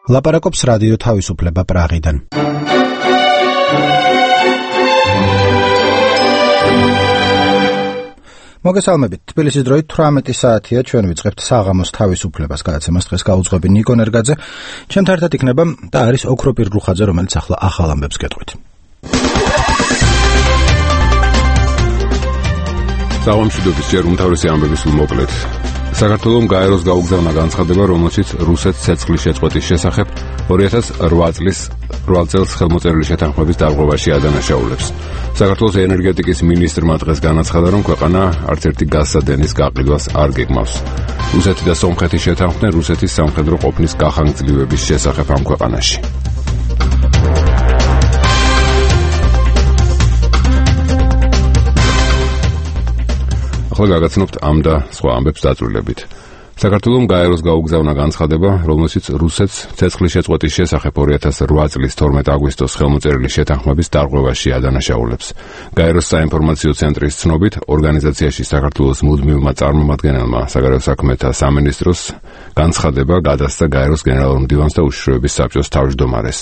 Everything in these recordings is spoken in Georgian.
ლაპარაკობს რადიო თავისუფლება პრაღიდან. მოგესალმებით. თბილისის დროით 18 საათია, ჩვენ ვიწყებთ საღამოს თავისუფლებას გადაცემას. დღეს გაუძღვები ნიკო ნერგაძე. ჩემთან ერთად იქნება და არის ოქროპირ რუხაძე, რომელიც ახლა ახალ ამბებს გეტყვით. საღამოშიდობის ჯერ უმთავრესი ამბების მოკლედ. საქართველოს გაეროს გაუგზავნა განცხადება, რომელშიც რუსეთს ცეცხლის შეწყვეტის შესახებ 2008 წლის 8 წელს ხელმოწერილი შეთანხმების დარღვევაში ადანაშაულებს. საქართველოს ენერგეტიკის მინისტრმა დღეს განაცხადა, რომ ქვეყანა არც ერთი გაზსადენის გაყიდვას არ გეგმავს. რუსეთი და სომხეთი შეთანხმდნენ რუსეთის სამხედრო ყოფნის გახანგრძლივების შესახებ ამ ქვეყანაში. ახლა გაგაცნობთ ამ და სხვა ამბებს დაწვრილებით. საქართველოს გაეროს გაუგზავნა განცხადება, რომელშიც რუსეთს ცეცხლის შეწყვეტის შესახებ 2008 წლის 12 აგვისტოს ხელმოწერილი შეთანხმების დარღვევაში ადანაშაულებს. გაეროს საინფორმაციო ცენტრის ცნობით, ორგანიზაციაში საქართველოს მუდმივმა წარმომადგენელმა საგარეო საქმეთა სამინისტროს განცხადება გადასცა გაეროს გენერალურ მდივანს და უშიშროების საბჭოს თავმჯდომარეს.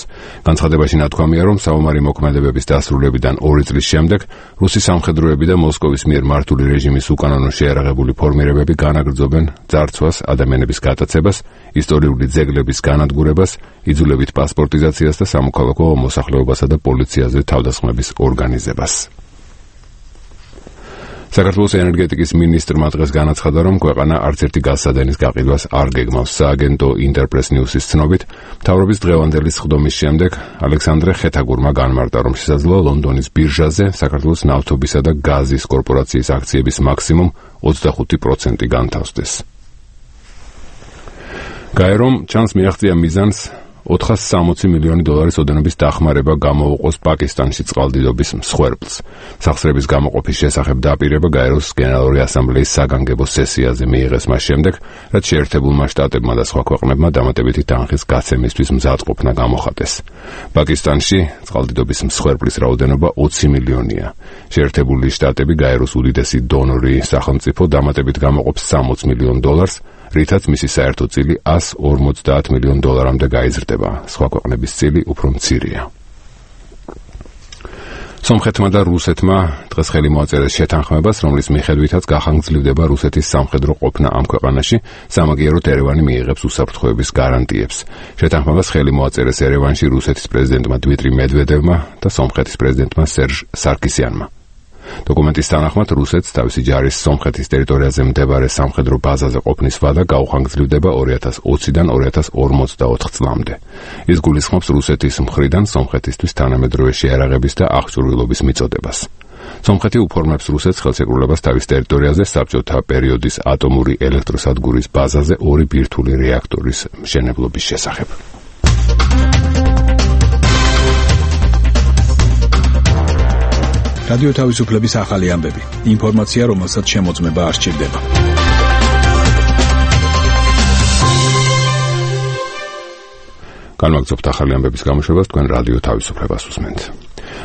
განცხადებაში ნათქვამია, რომ საომარი მოქმედებების დასრულებიდან 2 წლის შემდეგ რუსი სამხედროები და მოსკოვის მიერ მართული რეჟიმის უკანონო შეიარაღებული ფორმირებები განაგრძობენ ძარცვას, ადამიანების გატაცებას, ისტორიული ძეგლების განადგურებას, იძულებით პასპორტიზაციას და სამოქალაქო მოსახლეობასა და პოლიციაზე თავდასხმების ორგანიზებას. საქართველოს ენერგეტიკის მინისტრმა დღეს განაცხადა, რომ ქვეყანა არც ერთი გაზსადენის გაყიდვას არ გეგმავს. სააგენტო ინტერპრეს ნიუსის ცნობით, მთავრობის დღევანდელი სხდომის შემდეგ ალექსანდრე ხეთაგურმა განმარტა, რომ შესაძლოა ლონდონის ბირჟაზე საქართველოს ნავთობისა და გაზის კორპორაციის აქციების მაქსიმუმ 25% განთავსდეს. გაერომ ჩანს მიაღწია მიზანს 460 მილიონი დოლარის ოდენობის დახმარება გამოუყოს პაკისტანში წყალდიდობის მსხვერპლს. სახსრების გამოყოფის შესახებ დაპირება გაეროს გენერალური ასამბლეის საგანგებო სესიაზე მიიღეს მას შემდეგ, რაც შეერთებულმა შტატებმა და სხვა ქვეყნებმა დამატებითი თანხის გაცემისთვის მზადყოფნა გამოხატეს. პაკისტანში წყალდიდობის მსხვერპლის რაოდენობა 20 მილიონია. შეერთებული შტატები გაეროს უდიდესი დონორი სახელმწიფო დამატებით გამოყოფს 60 მილიონ დოლარს, რითაც მისი საერთო წილი 150 მილიონ დოლარამდე გაიზრდება. სხვა ქვეყნების წილი უფრო მცირეა. სომხეთმა და რუსეთმა დღეს ხელი მოაწერეს შეთანხმებას, რომლის მიხედვითაც გახანგრძლივდება რუსეთის სამხედრო ყოფნა ამ ქვეყანაში, სამაგიეროდ ერევანი მიიღებს უსაფრთხოების გარანტიებს. შეთანხმებას ხელი მოაწერეს ერევანში რუსეთის პრეზიდენტმა დმიტრი მედვედევმა და სომხეთის პრეზიდენტმა სერჟ სარკისიანმა. დოკუმენტის თანახმად რუსეთს თავისი ჯარის სომხეთის ტერიტორიაზე მდებარე სამხედრო ბაზაზე ყოფნის ვადა გაუხანგრძლივდება 2020-დან 2044 წლამდე. ის გულისხმობს რუსეთის მხრიდან სომხეთისთვის თანამედროვე შეიარაღების და აღჭურვილობის მიწოდებას. სომხეთი უფორმებს რუსეთს ხელშეკრულებას თავის ტერიტორიაზე საბჭოთა პერიოდის ატომური ელექტროსადგურის ბაზაზე 2 ბირთვული რეაქტორის მშენებლობის შესახებ. რადიო თავისუფლების ახალი ამბები. ინფორმაცია, რომელსაც შემოწმება არ სჭირდება. განვაგრძობთ ახალი ამბების გამოშვებას, თქვენ რადიო თავისუფლებას უსმენთ.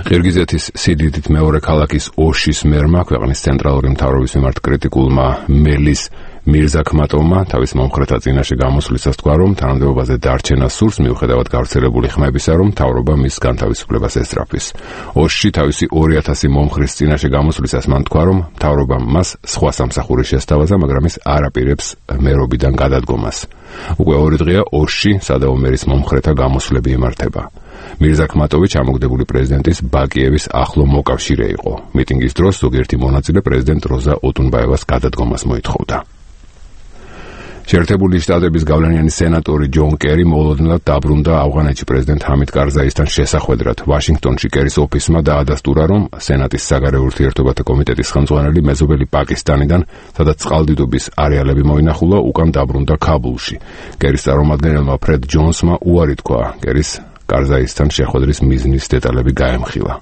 ყირგიზეთის სიდიდით მეორე ქალაქის ოშის მერმა ქვეყნის ცენტრალური მთავრობის მიმართ კრიტიკულმა მელის მირზაქმატოვმა თავის მომხრეთა წინაშე გამოსვლისას თქვა, რომ თანამდებობაზე დარჩენა სურს მიუხედავად გავრცელებული ხმებისა, რომ მთავრობა მის განთავისუფლებას ესწრაფვის. ოშში თავისი 2000 მომხრის წინაშე გამოსვლისას მან თქვა, რომ მთავრობამ მას სხვა სამსახური შესთავაზა, მაგრამ ის არ აპირებს მერობიდან გადადგომას. უკვე 2 დღეა ოშში სადავო მერის მომხრეთა გამოსვლები იმართება. მირზაქმატოვი ჩამოგდებული პრეზიდენტის ბაკიევის ახლო მოკავშირე იყო. მიტინგის დროს ზოგიერთი მონაწილე პრეზიდენტ როზა ოტუნბაევას გადადგომას მოითხოვდა. შეერთებული შტატების გავლენიანი სენატორი ჯონ კერი მოულოდნელად დაბრუნდა ავღანეთში პრეზიდენტ ჰამიდ კარზაისთან შესახვედრად. ვაშინგტონში კერის ოფისმა დაადასტურა, რომ სენატის საგარეო ურთიერთობათა კომიტეტის ხელმძღვანელი მეზობელი პაკისტანიდან, სადაც წყალდიდობის არეალები მოინახულა, უკან დაბრუნდა ქაბულში. კერის წარმომადგენელმა ფრედ ჯონსმა უარი თქვა კერის კარზაისთან შეხვედრის მიზნის დეტალები გაემხილა.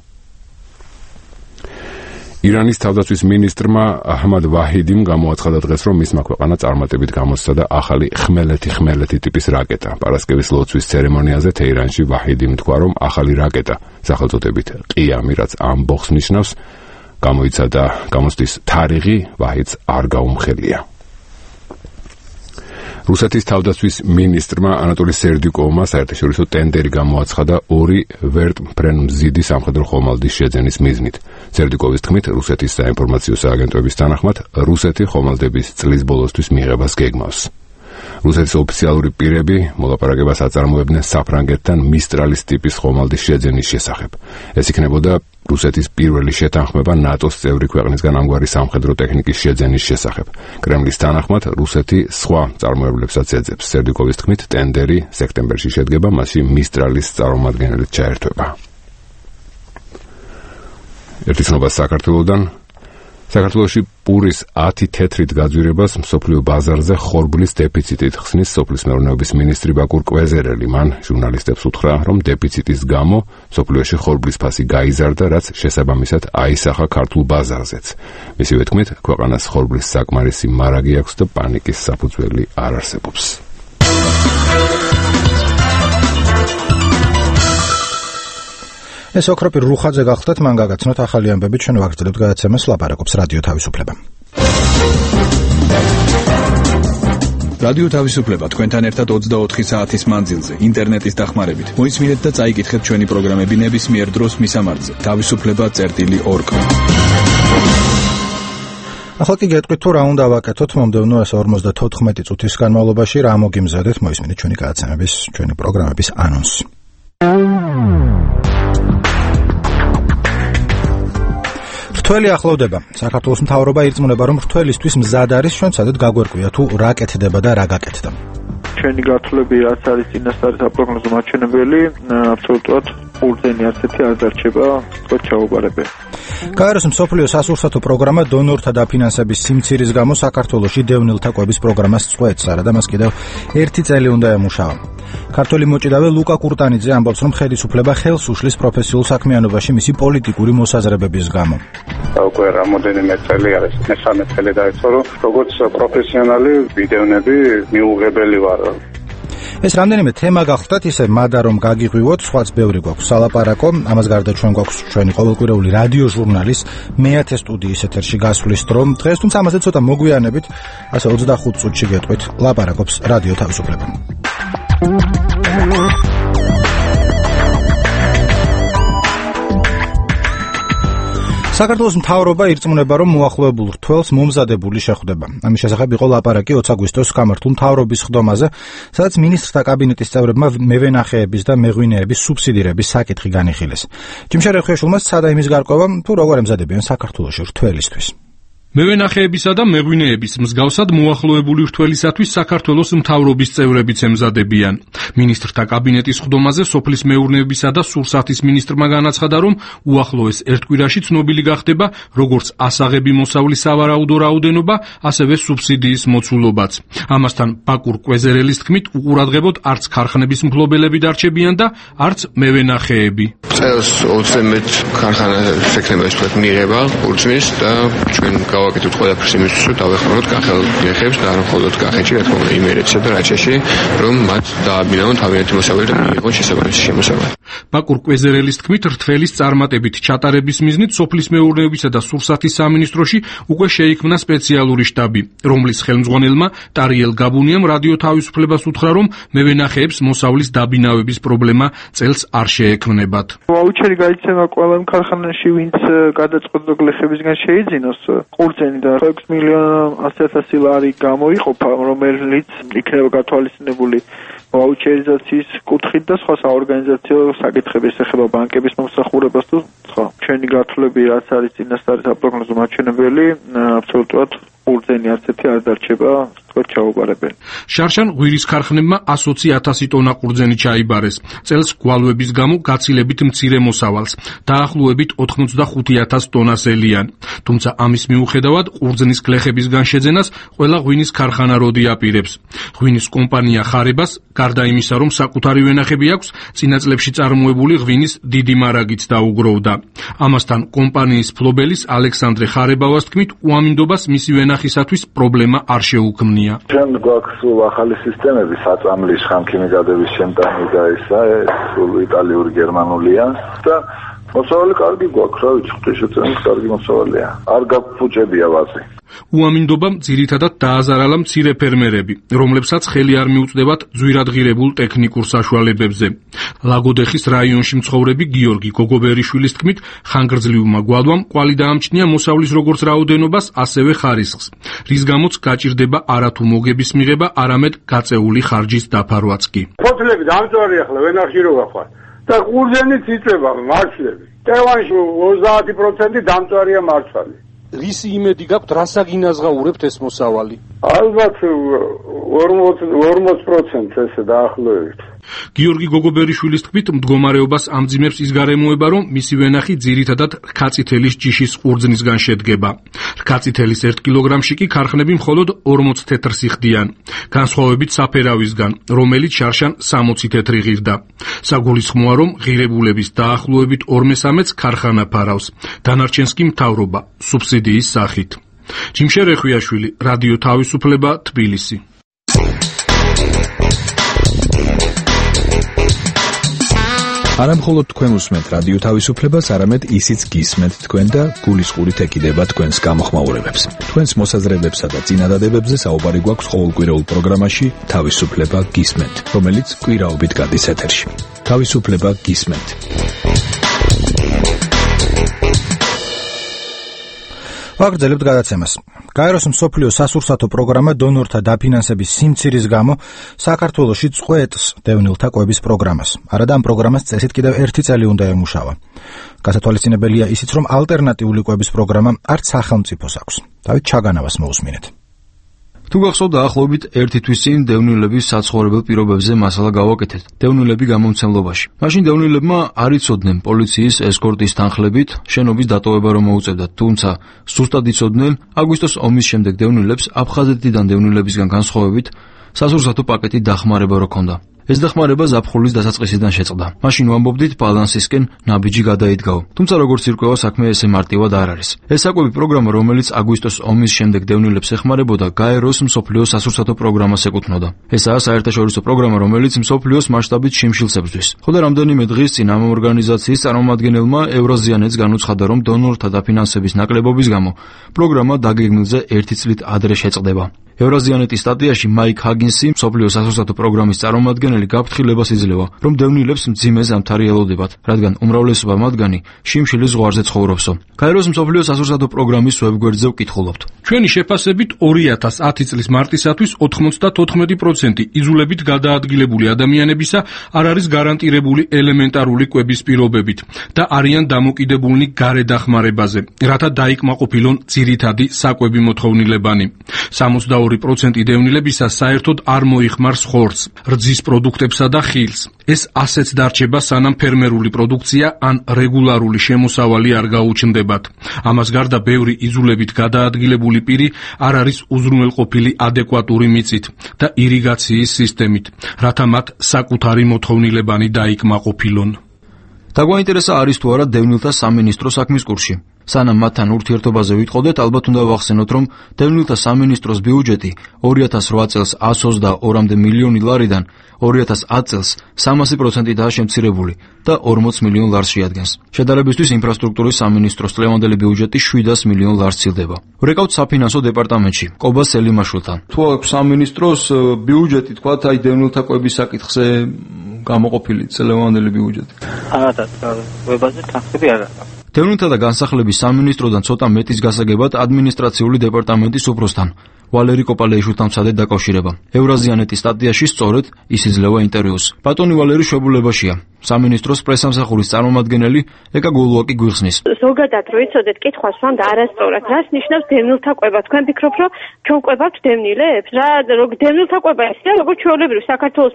ირანის თავდაცვის მინისტრმა აჰმად ვაჰიდიმ გამოაცხადა დღეს, რომ მისმა ქვეყანა წარმატებით გამოსცადა ახალი ხმელეთი ტიპის რაკეტა. პარასკევის ლოცვის ცერემონიაზე თეირანში ვაჰიდიმ თქვა, რომ ახალი რაკეტა, სახელწოდებით ყიამი, რაც ამბოხს ნიშნავს, გამოცდის თარიღი ვაჰიდს არ გაუმხელია. რუსეთის თავდაცვის მინისტრმა ანატოლი სერდიუკოვმა საერთაშორისო ტენდერი გამოაცხადა 2 ვერტმფრენმზიდი სამხედრო ხომალდის შეძენის მიზნით. სერდიუკოვის თქმით, რუსეთის საინფორმაციო სააგენტოების თანახმად, რუსეთი ხომალდების წლის ბოლოსთვის მიღებას გეგმავს. რუსეთის ოფიციალური პირები მოლაპარაკებას აწარმოებდნენ საფრანგეთთან მისტრალის ტიპის ხომალდის შეძენის შესახებ. ეს იქნებოდა რუსეთის პირველი შეთანხმება ნატოს წევრი ქვეყნისგან ამგვარი სამხედრო ტექნიკის შეძენის შესახებ. კრემლის თანახმად, რუსეთი სხვა წარმოებლებსაც ეძებს. სერდიუკოვის თქმით, ტენდერი სექტემბერში შედგება, მასში მისტრალის წარმომადგენელიც ჩაერთვება. ერთი ცნობა საქართველოდან. საქართველოში პურის 10 თეთრით გაძვირებას მსოფლიო ბაზარზე ხორბლის დეფიციტით ხსნის სოფლის მეურნეობის მინისტრი ბაკურ კვეზერელი. მან ჟურნალისტებს უთხრა, რომ დეფიციტის გამო მსოფლიოში ხორბლის ფასი გაიზარდა, რაც შესაბამისად აისახა ქართულ ბაზარზეც. მისივე თქმით, ქვეყანას ხორბლის საკმარისი მარაგი აქვს და პანიკის საფუძველი არ არსებობს. ეს ოქროპირ რუხაძე გახლდათ, მან გაგაცნოთ ახალი ამბები, ჩვენ ვაგრძელებთ გადაცემას, ლაპარაკობს რადიო თავისუფლება. რადიო თავისუფლება თქვენთან ერთად 24 საათის მანძილზე, ინტერნეტის დახმარებით. მოისმინეთ და წაიკითხეთ ჩვენი პროგრამები ნებისმიერ დროს მისამართზე. თავისუფლება.org. ახლა კი გეტყვით, თუ რა უნდა ვაკეთოთ მომდევნო 54 წუთის განმავლობაში, რა მოგიმზადეთ, მოისმინეთ ჩვენი გადაცემების, ჩვენი პროგრამების ანონსი. რთველი ახლოვდება. საქართველოს მთავრობა ირწმუნება, რომ რთველისთვის მზად არის, ჩვენ სადაც გაგვერკვია თუ რა კეთდება და რა გაკეთდა. ჩვენი გათვლები რაც არის წინასწარი საპროგნოზო მაჩვენებელი, აბსოლუტურად ყურძენი ასეთი არ დარჩება, თქო ჩაუყარებელი. გაეროს მსოფლიო სასურსათო პროგრამა დონორთა დაფინანსების სიმცირის გამო საქართველოში დევნილთა კვების პროგრამას წყვეტს, არადა მას კიდევ 1 წელი უნდა ემუშავა. ქართველი მოჭიდავე ლუკა კურტანიძე ამბობს, რომ ხელისუფლება ხელს უშლის პროფესიულ საქმიანობაში მისი პოლიტიკური მოსაზრებების გამო. უკვე რამოდენიმე წელი არის, მესამე წელი დაიწყო, რომ როგორც პროფესიონალი ვიდეონები მიუღებელი ვარ. ეს რამდენიმე თემა გახლდათ, ისე მადა რომ გაგიღვივოთ, სხვაც ბევრი გვაქვს სალაპარაკო. ამას გარდა ჩვენ გვაქვს ჩვენი ყოველკვირეული რადიო ჟურნალის მე-10 სტუდიის ეთერში გასვლის დრო. დღეს თუმცა ამაზე ცოტა მოგვიანებით, ასე 25 წუთში გეტყვით, ლაპარაკობს რადიო თავისუფლება. საქართველოს მთავრობა ირწმუნება, რომ მოახლოებულ რთველს მომზადებული შეხვდება. ამის შესახებ იყო ლაპარაკი 20 აგვისტოს გამართულ მთავრობის ხდომაზე, სადაც მინისტრთა კაბინეტის წევრებმა მევენახეების და მეღვინეების სუბსიდირების საკითხი განიხილეს. ჯიმშარ ეხუაშვილმა სცადა იმის გარკვევა, თუ როგორ ემზადებიან საქართველოში რთველისთვის. მევენახეებისა და მეღვინეების მსგავსად მოახლოებული რთველისათვის საქართველოს მთავრობის წევრებიც ემზადებიან. მინისტრთა კაბინეტის ხდომაზე სოფლის მეურნეობისა და სურსათის მინისტრმა განაცხადა, რომ უახლოეს ერთ კვირაში ცნობილი გახდება როგორც ასაღები მოსავლის სავარაუდო რაოდენობა, ასევე სუბსიდიის მოცულობაც. ამასთან ბაკურ კვეზერელის თქმით, უყურადღებოდ არც ქარხნების მფლობელები დარჩებიან და არც მევენახეები. წელს 21 ქარხანა შექმნებას მიიღება ურწმის და ჩვენ გავაკეთოთ ყველაფერს იმისთვის, რომ დავეხმაროთ კახელმეხებს და არ მხოლოდ კახეთში, რა თქმა უნდა, იმერეთსა და რაჭაში, რომ მათ დააბინაონ თავიანთი მოსავალი და მიიღონ შესაბამისი შემოსავალი. ბაკურ კვეზერელის თქმით, რთველის წარმატებით ჩატარების მიზნით სოფლის მეურნეობისა და სურსათის სამინისტროში უკვე შეიქმნა სპეციალური შტაბი, რომლის ხელმძღვანელმა ტარიელ გაბუნიამ რადიო თავისუფლებას უთხრა, რომ მევენახეებს მოსავლის დაბინავების პრობლემა წელს არ შეექმნებათ. ვაუჩერი გაიცემა ყველა ქარხანაში, ვინც გადაწყვეტილ გლეხებისგან შეიძინოს ყურძენი და 6 მილიონ 100,000 ლარი გამოიყოფა, რომელიც იქნება გათვალისწინებული ვაუჩერიზაციის კუთხით და სხვა საორგანიზაციო საკითხების ეხება ბანკების მომსახურებას თუ სხვა. ჩვენი გათვლები რაც არის წინასწარი საპროგნოზო მაჩვენებელი, აბსოლუტურად ყურძენი ასეთი არ დარჩება, თქო ჩაუყარებელი. შარშან ღვირის ქარხნებმა 120,000 ტონა ყურძენი ჩაიბარეს. წელს გვალვების გამო გაცილებით მცირე მოსავალს, დაახლოებით 85,000 ტონას ელიან. თუმცა ამის მიუხედავად ყურძნის გლეხებისგან შეძენას ყველა ღვინის ქარხანა როდი აპირებს. ღვინის კომპანია ხარებას, გარდა იმისა, რომ საკუთარი ვენახები აქვს, წინა წლებში წარმოებული ღვინის დიდი მარაგიც დაუგროვდა. ამასთან კომპანიის ფლობელის ალექსანდრე ხარებავას თქმით, უამინდობას მისი ვენახისათვის პრობლემა არ შეუქმნია. ჩვენ გვაქვს ახალი სისტემები, საწამლის ხამქიმიკადების შემტანი და ისა, სულ იტალიური, გერმანულია და მოსავალი კარგი გვაქვს, რა ვიცი, ღვთისმშობლის კარგი მოსავალია. არ გაფუჭებია ვაზი. უამინდობამ ძირითადად დააზარალა მცირე ფერმერები, რომლებსაც ხელი არ მიუწდებათ ძვირადღირებულ ტექნიკურ საშუალებებზე. ლაგოდეხის რაიონში მცხოვრები გიორგი გოგობერიშვილის თქმით, ხანგრძლივმა გვალვამ კვალი დაამჩნია მოსავლის როგორც რაოდენობას, ასევე ხარისხს, რის გამოც გაჭირდება არათუ მოგების მიღება, არამედ გაწეული ხარჯის დაფარვაც კი. ფოთლები დამწვარი ახლა ვენახში რო გახვალ და ყურძენიც იწება მარცვლები. ტევანში 30% დამწვარია მარცვალი. რისი იმედი გაქვთ, რასა გინაზღაურებთ ეს მოსავალი? ალბათ 40% ესე დაახლოებით. გიორგი გოგობერიშვილის თქმით, მდგომარეობას ამძიმებს ის გარემოება, რომ მისი ვენახი ძირითადად რქაწითელის ჯიშის ყურძნისგან შედგება. რქაწითელის 1 კილოგრამში კი ქარხნები მხოლოდ 40 თეთრს იხდიან, განსხვავებით საფერავისგან, რომელიც შარშან 60 თეთრი ღირდა. საგულისხმოა, რომ ღირებულების დაახლოებით 2/3-ს ქარხანა ფარავს, დანარჩენს კი მთავრობა სუბსიდიის სახით. ჯიმშე რეხვიაშვილი, რადიო თავისუფლება, თბილისი. არა მხოლოდ თქვენ უსმენთ რადიო თავისუფლებას, არამედ ისიც გისმენთ თქვენ და გულისყურით ეკიდება თქვენს გამოხმაურებებს. თქვენს მოსაზრებებსა და წინადადებებზე საუბარი გვაქვს ყოველკვირეულ პროგრამაში თავისუფლება გისმენთ, რომელიც კვირაობით გადის ეთერში. თავისუფლება გისმენთ. ვაგრძელებთ გადაცემას. გაეროს მსოფლიო სასურსათო პროგრამა დონორთა დაფინანსების სიმცირის გამო საქართველოში წყვეტს დევნილთა კვების პროგრამას. არადა ამ პროგრამას წესით კიდევ 1 წელი უნდა ემუშავა. გასათვალისწინებელია ისიც, რომ ალტერნატიული კვების პროგრამა არც სახელმწიფოს აქვს. დავით ჩაგანავას მოусმინეთ. თუ გახსოვთ, დაახლოებით 1 თვის წინ დევნილების საცხოვრებელ პირობებზე მასალა გავაკეთეთ. დევნილები გამომცემლობაში. მაშინ დევნილებმა არ იცოდნენ პოლიციის ესკორტის თანხლებით შენობის დატოვება რომ მოუწევდათ, თუმცა სუსტად იცოდნენ აგვისტოს ომის შემდეგ დევნილებს აფხაზეთიდან დევნილებისგან განსხვავებით სასურსათო პაკეტი დახმარება რო ქონდა. ეს დახმარება ზაფხულის დასაწყისიდან შეწყდა. მაშინ ვამბობდით ბალანსისკენ ნაბიჯი გადაიდგაო. თუმცა როგორც ირკვევა, საქმე ესე მარტივად არ არის. ეს საკვები პროგრამა, რომელიც აგვისტოს ომის შემდეგ დევნილებს ეხმარებოდა, გაეროს მსოფლიო სასურსათო პროგრამას ეკუთვნოდა. ესაა საერთაშორისო პროგრამა, რომელიც მსოფლიოს მასშტაბით შიმშილს ებრძვის. ხოლო რამდენიმე დღის წინ ამ ორგანიზაციის წარმომადგენელმა ევრაზიანეთს განუცხადა, რომ დონორთა დაფინანსების ნაკლებობის გამო პროგრამა დაგეგმილზე 1 წლით ადრე შეწყდება. ევრაზიანეთის სტატიაში მაიკ ჰაგინსი, მსოფლიო სასურსათო პროგრამის წარმომადგენელი, გაფრთხილებას იძლევა, რომ დევნილებს მძიმე ზამთარი ელოდებათ, რადგან უმრავლესობა მათგანი შიმშილის ზღვარზე ცხოვრობსო. გაეროს მსოფლიო სასურსათო პროგრამის ვებგვერდზე ვკითხულობთ. ჩვენი შეფასებით 2010 წლის მარტისათვის 94% იზოლებით გადაადგილებული ადამიანებისა არ არის გარანტირებული ელემენტარული კვების პირობებით და არიან დამოკიდებულნი გარე დახმარებაზე, რათა დაიკმაყოფილონ ძირითადი საკვები მოთხოვნილებანი. 62% დევნილებისა საერთოდ არ მოიხმარს ხორცს, რძის პროდუქტებსა და ხილს. ეს ასეც დარჩება, სანამ ფერმერული პროდუქცია ან რეგულარული შემოსავალი არ გაუჩნდებათ. ამას გარდა ბევრი იზოლებით გადაადგილებული პირი არ არის უზრუნველყოფილი ადეკვატური მიწით და ირიგაციის სისტემით, რათა მათ საკუთარი მოთხოვნილებანი დაიკმაყოფილონ. დაგვაინტერესა არის თუ არა დევნილთა სამინისტრო საქმის კურსში. სანამ მათთან ურთიერთობაზე ვიტყოდეთ, ალბათ უნდა ვახსენოთ, რომ დევნილთა სამინისტროს ბიუჯეტი 2008 წელს 122 მილიონი ლარიდან 2010 წელს 300%-აა შემცირებული და 40 მილიონ ლარს შეადგენს. შედარებისთვის ინფრასტრუქტურის სამინისტროს წლევანდელი ბიუჯეტი 700 მილიონ ლარს ცილდება. ვრეკავთ საფინანსო დეპარტამენტში, ყობა სელიმაშვილთან. თუ აქვს სამინისტროს ბიუჯეტი, თქვათ, აი დევნილთა კვების საკითხზე გამოყოფილი წლევანდელი ბიუჯეტი. არა, ვებაზე თანხები არ აქვს. დევნილთა და განსახლების სამინისტროდან ცოტა მეტის გასაგებად ადმინისტრაციული დეპარტამენტის უფროსთან ვალერი კოპალეიშვილთან მცადეთ დაკავშირება. ევრაზიანეთის სტატიაში სწორედ ის იძლევა ინტერვიუს. ბატონი ვალერი შვებულებაშია. სამინისტროს პრესამსახურის წარმომადგენელი ეკა გოლუაკი გვიხსნის. ზოგადად რო იცოდეთ, კითხვას ვამდა არასწორად. რას ნიშნავს დევნილთა კვება? თქვენ ფიქრობთ, რომ ჩვენ კვებავთ დევნილებს? რა დევნილთა კვება ისეა, როგორც ჩვეულებრივი საქართველოს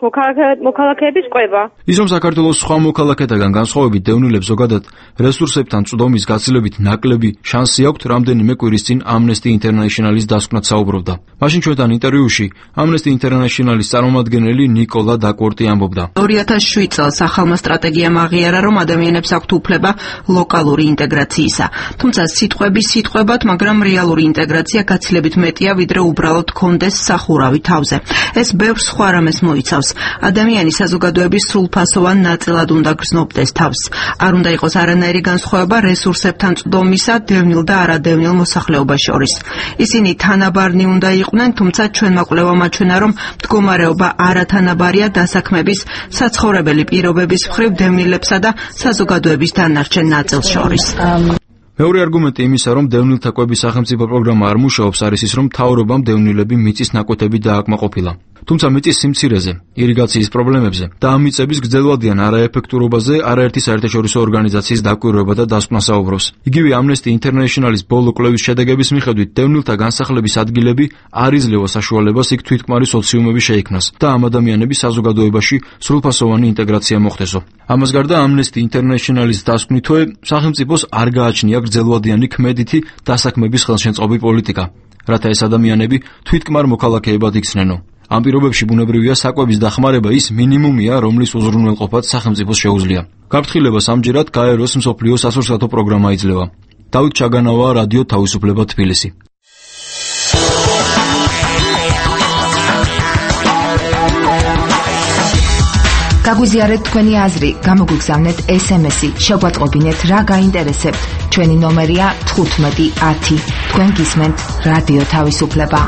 მოქალაქეების კვება. ის რომ საქართველოს სხვა მოქალაქეთაგან განსხვავებით დევნილებს ზოგადად რესურსებთან წვდომის გაცილებით ნაკლები შანსი აქვთ, რამდენიმე კვირის წინ Amnesty International-ის დასკვნად საუბრობდა. მაშინ ჩვენთან ინტერვიუში Amnesty International-ის წარმომადგენელი ნიკოლა დაკორტი ამბობდა. 2007 წელს ახალმა სტრატეგიამ აღიარა, რომ ადამიანებს აქვთ უფლება ლოკალური ინტეგრაციისა. თუმცა სიტყვების სიტყვებად, მაგრამ რეალური ინტეგრაცია გაცილებით მეტია, ვიდრე უბრალოდ კონდეს სახურავი თავზე. ეს ბევრ სხვა რამეს მოიცავს. ადამიანი საზოგადოების სრულფასოვან ნაწილად უნდა გრძნობდეს თავს. არ უნდა იყოს არანაირი განსხვავება ხდება რესურსებთან წვდომისა დევნილ და არადევნილ მოსახლეობას შორის. ისინი თანაბარნი უნდა იყვნენ, თუმცა ჩვენმა კვლევამ აჩვენა, რომ მდგომარეობა არათანაბარია დასაქმების, საცხოვრებელი პირობების მხრივ დევნილებსა და საზოგადოების დანარჩენ ნაწილს შორის. მეორე არგუმენტი იმისა, რომ დევნილთა კვების სახელმწიფო პროგრამა არ მუშაობს, არის ის, რომ მთავრობამ დევნილები მიწის ნაკვეთები დააკმაყოფილა. თუმცა მიწის სიმცირეზე, ირიგაციის პრობლემებზე და ამ მიწების გრძელვადიან არაეფექტურობაზე არაერთი საერთაშორისო ორგანიზაციის დაკვირვება და დასკვნა საუბრობს. იგივე Amnesty International-ის ბოლო კვლევის შედეგების მიხედვით, დევნილთა განსახლების ადგილები არ იძლევა საშუალებას იქ თვითკმარი სოციუმები შეიქმნას და ამ ადამიანების საზოგადოებაში სრულფასოვანი ინტეგრაცია მოხდესო. ამას გარდა Amnesty International-ის დასკვნითვე, სახელმწიფოს არ გააჩნია გრძელვადიანი ქმედითი დასაქმების ხელშემწყობი პოლიტიკა, რათა ეს ადამიანები თვითკმარ მოქალაქეებად იქცნენო. ამ პირობებში ბუნებრივია საკვების დახმარება ის მინიმუმია, რომლის უზრუნველყოფაც სახელმწიფოს შეუძლია. გაფრთხილებას ამჯერად გაეროს მსოფლიო სასურსათო პროგრამა იძლევა. დავით ჩაგანავა, რადიო თავისუფლება, თბილისი. გაგვიზიარეთ თქვენი აზრი, გამოგვიგზავნეთ SMS-ი, შეგვატყობინეთ რა გაინტერესებთ. ჩვენი ნომერია 1510. თქვენ გისმენთ რადიო თავისუფლება.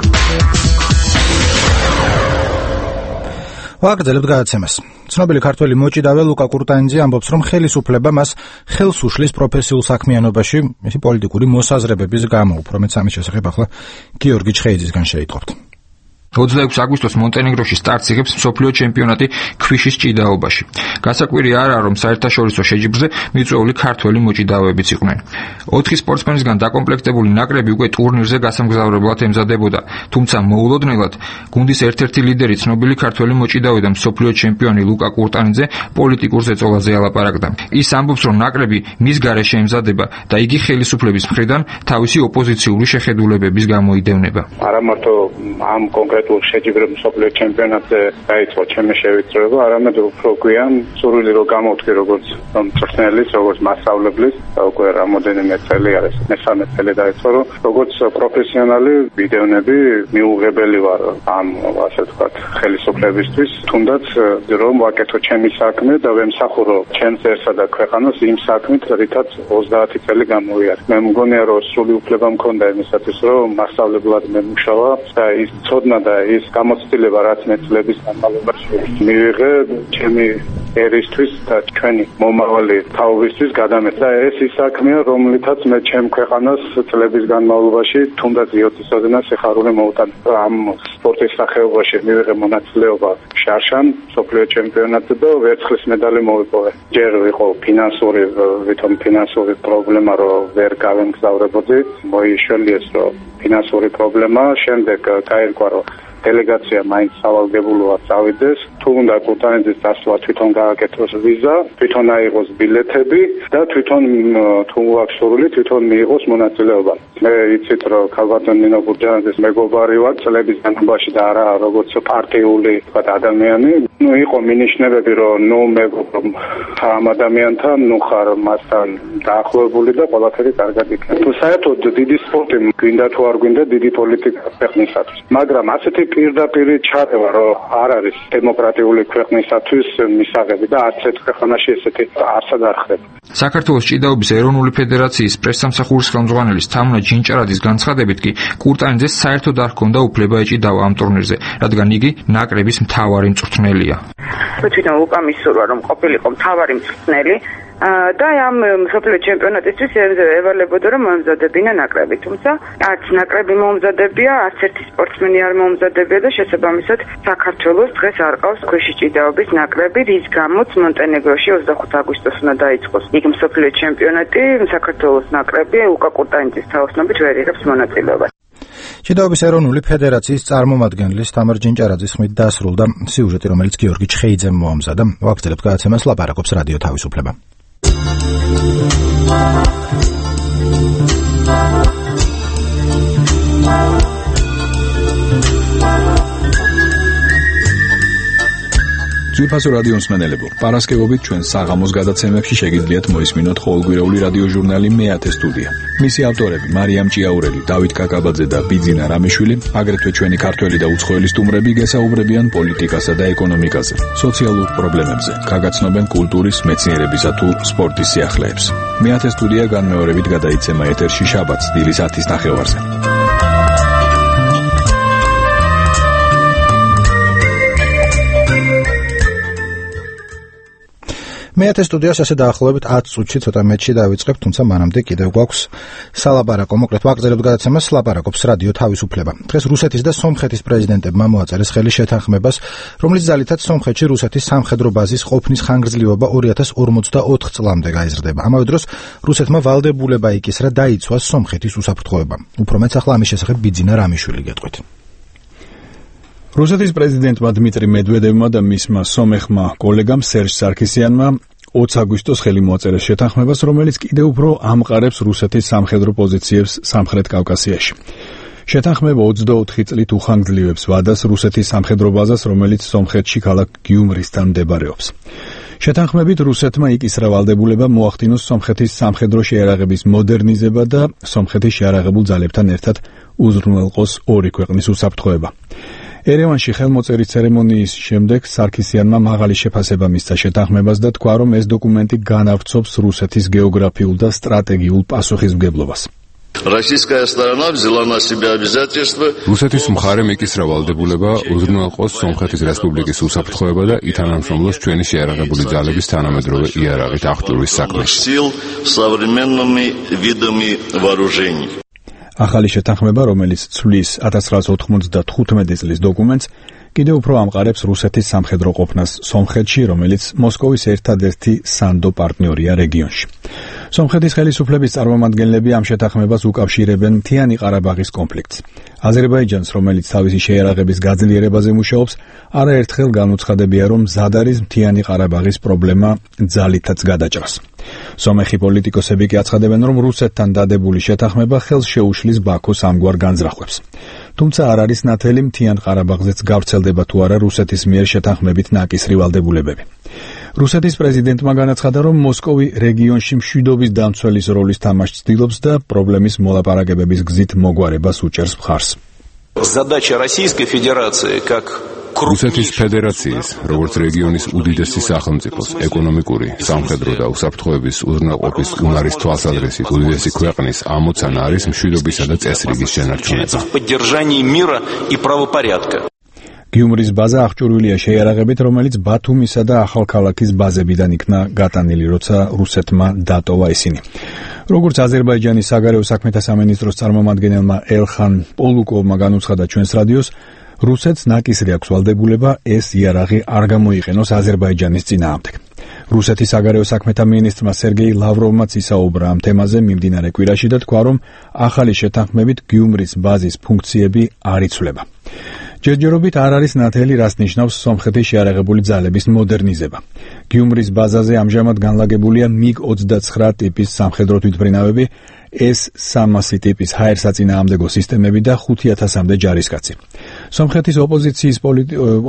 ვაგრძელებთ გადაცემას. ცნობილი ქართველი მოჭიდავე ლუკა კურტანიძე ამბობს, რომ ხელისუფლება მას ხელს უშლის პროფესიულ საქმიანობაში, მისი პოლიტიკური მოსაზრებების გამო. უფრო მეც ამის შესახებ ახლა გიორგი ჩხეიძისგან შეიტყობთ. 26 აგვისტოს მონტენეგროში სტარტს იღებს მსოფლიო ჩემპიონატი ქვიშის ჭიდაობაში. გასაკვირი არაა, რომ საერთაშორისო შეჯიბრზე მიწვეული ქართველი მოჭიდავეებიც იყვნენ. 4 სპორტსმენისგან დაკომპლექტებული ნაკრები უკვე ტურნირზე გასამგზავრებლად ემზადებოდა, თუმცა მოულოდნელად გუნდის ერთ-ერთი ლიდერი, ცნობილი ქართველი მოჭიდავე და მსოფლიო ჩემპიონი ლუკა კურტანიძე პოლიტიკურ ზეწოლაზე ალაპარაკდა. ის ამბობს, რომ ნაკრები მის გარეშე ემზადება და იგი ხელისუფლების მხრიდან თავისი ოპოზიციური შეხედულებების გამო იდევნება. არა მარტო ამ კონკრეტულ შეჯიბრებულ მსოფლიო ჩემპიონატზე დაიწყო ჩემი შევიწროება, არამედ უფრო გვიან სურვილი რომ გამოვთქვი როგორც მწვრთნელის, როგორც მასწავლებლის, უკვე რამოდენიმე წელი არის, მესამე წელი დაიწყო, რომ როგორც პროფესიონალი ვიდეონები მიუღებელი ვარ ამ ასე ვთქვათ ხელისუფლებისთვის, თუნდაც რომ ვაკეთო ჩემი საქმე და ვემსახურო ჩემს ერთსა და ქვეყანას იმ საქმით, რითაც 30 წელი გამოვიარე. მე მგონია რომ სრული უფლება მქონდა იმისათვის, რომ მასწავლებლად მემუშავა და ის ცოდნა და ის გამოცდილება, რაც მე წლების განმავლობაში მივიღე ჩემი ერისთვის და ჩვენი მომავალი თაობისთვის გადამეცა. ეს ის საქმეა, რომლითაც მე ჩემ ქვეყანას წლების განმავლობაში თუნდაც იოტისოდენა სიხარული მოვუტანე. ამ სპორტის სახეობაში მივიღე მონაწილეობა შარშან მსოფლიო ჩემპიონატზე და ვერცხლის მედალი მოვიპოვე. ჯერ იყო ფინანსური პრობლემა, რომ ვერ გავემგზავრებოდი, მოიშველიეს რომ ფინანსური პრობლემა, შემდეგ გაირკვა რომ დელეგაცია მაინც სავალდებულოა წავიდეს, თუ უნდა კურტანიძის დასვლა თვითონ გააკეთოს ვიზა, თვითონ აიღოს ბილეთები და თვითონ თუ აქვს სურვილი თვითონ მიიღოს მონაწილეობა. მე იცით რომ ქალბატონ ნინო კურტანიძის მეგობარი ვარ წლების განმავლობაში და არა როგორც პარტიული ადამიანი. იყო მინიშნებები რომ მეგობრობ ამ ადამიანთან, ხარ მასთან დაახლოებული და ყველაფერი კარგად იქნება. თუ საერთოდ დიდი სპორტი გვინდა თუ არ გვინდა დიდი პოლიტიკა ქვეყნისათვის. მაგრამ ასეთი პირდაპირ ჩარევა რომ არ არის დემოკრატიული ქვეყნისათვის მისაღები და არც ერთ ქვეყანაში ესეთი არსად არ ხდება. საქართველოს ჭიდაობის ეროვნული ფედერაციის პრესსამსახურის ხელმძღვანელის თამნა ჯინჭარაძის განცხადებით კი კურტანიძეს საერთოდ არ ჰქონდა უფლება ეჭიდავა ამ ტურნირზე, რადგან იგი ნაკრების მთავარი მწვრთნელია. თვითონ ლუკა მისურვა რომ ყოფილიყო მთავარი მწვრთნელი და ამ მსოფლიო ჩემპიონატისთვის ევალებოდა რომ მომზადებინა ნაკრები, თუმცა არც ნაკრები მომზადებია, არც ერთი სპორტსმენი არ მომზადებია და შესაბამისად საქართველოს დღეს არ ყავს ქვიშის ჭიდაობის ნაკრები, რის გამოც მონტენეგროში 25 აგვისტოს უნდა დაიწყოს იქ მსოფლიო ჩემპიონატი, საქართველოს ნაკრები ლუკა კურტანიძის თაოსნობით ვერ იღებს მონაწილეობას. ჭიდაობის ეროვნული ფედერაციის წარმომადგენლის თამარ ჯინჭარაძის ხმით დასრულდა სიუჟეტი, რომელიც გიორგი ჩხეიძემ მოამზადა. ვაგრძელებთ გადაცემას, ლაპარაკობს რადიო თავისუფლება. ძვირფასო რადიო მსმენელებო, პარასკევობით ჩვენ საღამოს გადაცემებში შეგიძლიათ მოისმინოთ ყოველკვირეული რადიო ჟურნალი მეათე სტუდია. მისი ავტორები მარიამ ჭიაურელი, დავით კაკაბაძე და ბიძინა რამიშვილი, აგრეთვე ჩვენი ქართველი და უცხოელი სტუმრები გესაუბრებიან პოლიტიკასა და ეკონომიკაზე, სოციალურ პრობლემებზე, გაგაცნობენ კულტურის, მეცნიერებისა თუ სპორტის სიახლეებს. მეათე სტუდია განმეორებით გადაიცემა ეთერში შაბათს დილის 10-ის ნახევარზე. მეათე სტუდიას ასე დაახლოებით 10 წუთში ცოტა მეტში დავიწყებ, თუმცა მანამდე კიდევ გვაქვს სალაპარაკო. მოკლედ ვაგრძელებთ გადაცემას ლაპარაკობს რადიო თავისუფლება. დღეს რუსეთის და სომხეთის პრეზიდენტებმა მოაწერეს ხელი შეთანხმებას, რომლის ძალითაც სომხეთში რუსეთის სამხედრო ბაზის ყოფნის ხანგრძლივობა 2044 წლამდე გაიზრდება. ამავე დროს რუსეთმა ვალდებულება იკისრა დაიცვას სომხეთის უსაფრთხოება. უფრო მეტს ახლა ამის შესახებ ბიძინა რამიშვილი გეტყვით. რუსეთის პრეზიდენტმა დმიტრი მედვედევმა და მისმა სომეხმა კოლეგამ სერჟ სარქისიანმა 20 აგვისტოს ხელი მოაწერეს შეთანხმებას, რომელიც კიდევ უფრო ამყარებს რუსეთის სამხედრო პოზიციებს სამხრეთ კავკასიაში. შეთანხმება 24 წლით უხანგრძლივებს ვადას რუსეთის სამხედრო ბაზას, რომელიც სომხეთში ქალაქ გიუმრისთან მდებარეობს. შეთანხმებით რუსეთმა იკისრა ვალდებულება მოახდინოს სომხეთის სამხედრო შეიარაღების მოდერნიზება და სომხეთის შეიარაღებულ ძალებთან ერთად უზრუნველყოს ორი ქვეყნის უსაფრთხოება. ერევანში ხელმოწერის ცერემონიის შემდეგ სარქისიანმა მაღალი შეფასება მისცა შეთანხმებას და თქვა, რომ ეს დოკუმენტი განავრცობს რუსეთის გეოგრაფიულ და სტრატეგიულ პასუხისმგებლობას. რუსეთის მხარემ იკისრა ვალდებულება უზრუნველყოს სომხეთის რესპუბლიკის უსაფრთხოება და ითანამშრომლოს ჩვენი შეიარაღებული ძალების თანამედროვე იარაღით აღჭურვის საქმეში. ახალი შეთანხმება, რომელიც ცვლის 1995 წლის დოკუმენტს, კიდევ უფრო ამყარებს რუსეთის სამხედრო ყოფნას სომხეთში, რომელიც მოსკოვის ერთადერთი სანდო პარტნიორია რეგიონში. სომხეთის ხელისუფლების წარმომადგენლები ამ შეთანხმებას უკავშირებენ მთიანი ყარაბაღის კონფლიქტს. აზერბაიჯანს, რომელიც თავისი შეიარაღების გაძლიერებაზე მუშაობს, არაერთხელ განუცხადებია, რომ მზად არის მთიანი ყარაბაღის პრობლემა ძალითაც გადაჭრას. სომეხი პოლიტიკოსები კი აცხადებენ, რომ რუსეთთან დადებული შეთანხმება ხელს შეუშლის ბაქოს ამგვარ განზრახვებს. თუმცა არ არის ნათელი მთიან ყარაბაღზეც გავრცელდება თუ არა რუსეთის მიერ შეთანხმებით ნაკისრი ვალდებულებები. რუსეთის პრეზიდენტმა განაცხადა, რომ მოსკოვი რეგიონში მშვიდობის დამცველის როლის თამაშს ცდილობს და პრობლემის მოლაპარაკებების გზით მოგვარებას უჭერს მხარს. რუსეთის ფედერაციის, როგორც რეგიონის უდიდესი სახელმწიფოს, ეკონომიკური, სამხედრო და უსაფრთხოების უზრუნველყოფის უნარის თვალსაზრისით უდიდესი ქვეყნის ამოცანა არის მშვიდობისა და წესრიგის შენარჩუნება. გიუმრის ბაზა აღჭურვილია შეიარაღებით, რომელიც ბათუმისა და ახალქალაქის ბაზებიდან იქნა გატანილი, როცა რუსეთმა დატოვა ისინი. როგორც აზერბაიჯანის საგარეო საქმეთა სამინისტროს წარმომადგენელმა ელხან პოლუკოვმა განუცხადა ჩვენს რადიოს, რუსეთს ნაკისრი აქვს ვალდებულება ეს იარაღი არ გამოიყენოს აზერბაიჯანის წინააღმდეგ. რუსეთის საგარეო საქმეთა მინისტრმა სერგეი ლავროვმაც ისაუბრა ამ თემაზე მიმდინარე კვირაში და თქვა, რომ ახალი შეთანხმებით გიუმრის ბაზის ფუნქციები არ იცვლება. ჯერჯერობით არ არის ნათელი, რას ნიშნავს სომხეთის შეიარაღებული ძალების მოდერნიზება. გიუმრის ბაზაზე ამჟამად განლაგებულია MiG-29 ტიპის სამხედრო თვითმფრინავები, S-300 ტიპის ჰაერსაწინააღმდეგო სისტემები და 5000-მდე ჯარისკაცი. სომხეთის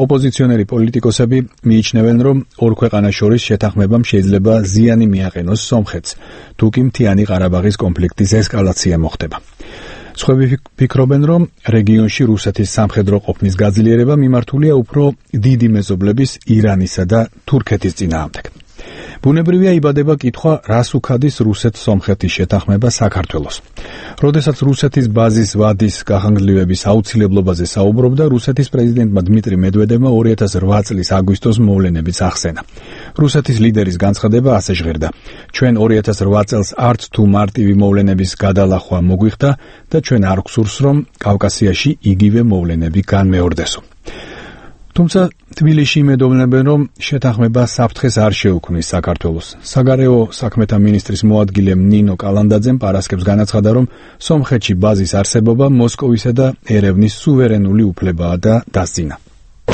ოპოზიციონერი პოლიტიკოსები მიიჩნევენ, რომ ორ ქვეყანას შორის შეთანხმებამ შეიძლება ზიანი მიაყენოს სომხეთს, თუკი მთიანი ყარაბაღის კონფლიქტის ესკალაცია მოხდება. სხვები ფიქრობენ, რომ რეგიონში რუსეთის სამხედრო ყოფნის გაძლიერება მიმართულია უფრო დიდი მეზობლების ირანისა და თურქეთის წინააღმდეგ. ბუნებრივია იბადება კითხვა, რას უქადის რუსეთ-სომხეთის შეთანხმება საქართველოს. როდესაც რუსეთის ბაზის ვადის გახანგრძლივების აუცილებლობაზე საუბრობდა, რუსეთის პრეზიდენტმა დმიტრი მედვედევმა 2008 წლის აგვისტოს მოვლენებიც ახსენა. რუსეთის ლიდერის განცხადება ასე ჟღერდა: ჩვენ 2008 წელს არც თუ მარტივი მოვლენების გადალახვა მოგვიხდა და ჩვენ არ გვსურს, რომ კავკასიაში იგივე მოვლენები განმეორდესო. თუმცა თბილისში იმედოვნებენ, რომ შეთანხმება საფრთხეს არ შეუქმნის საქართველოს. საგარეო საქმეთა მინისტრის მოადგილე ნინო კალანდაძემ პარასკევს განაცხადა, რომ სომხეთში ბაზის არსებობა მოსკოვისა და ერევნის სუვერენული უფლებაა და დასძინა.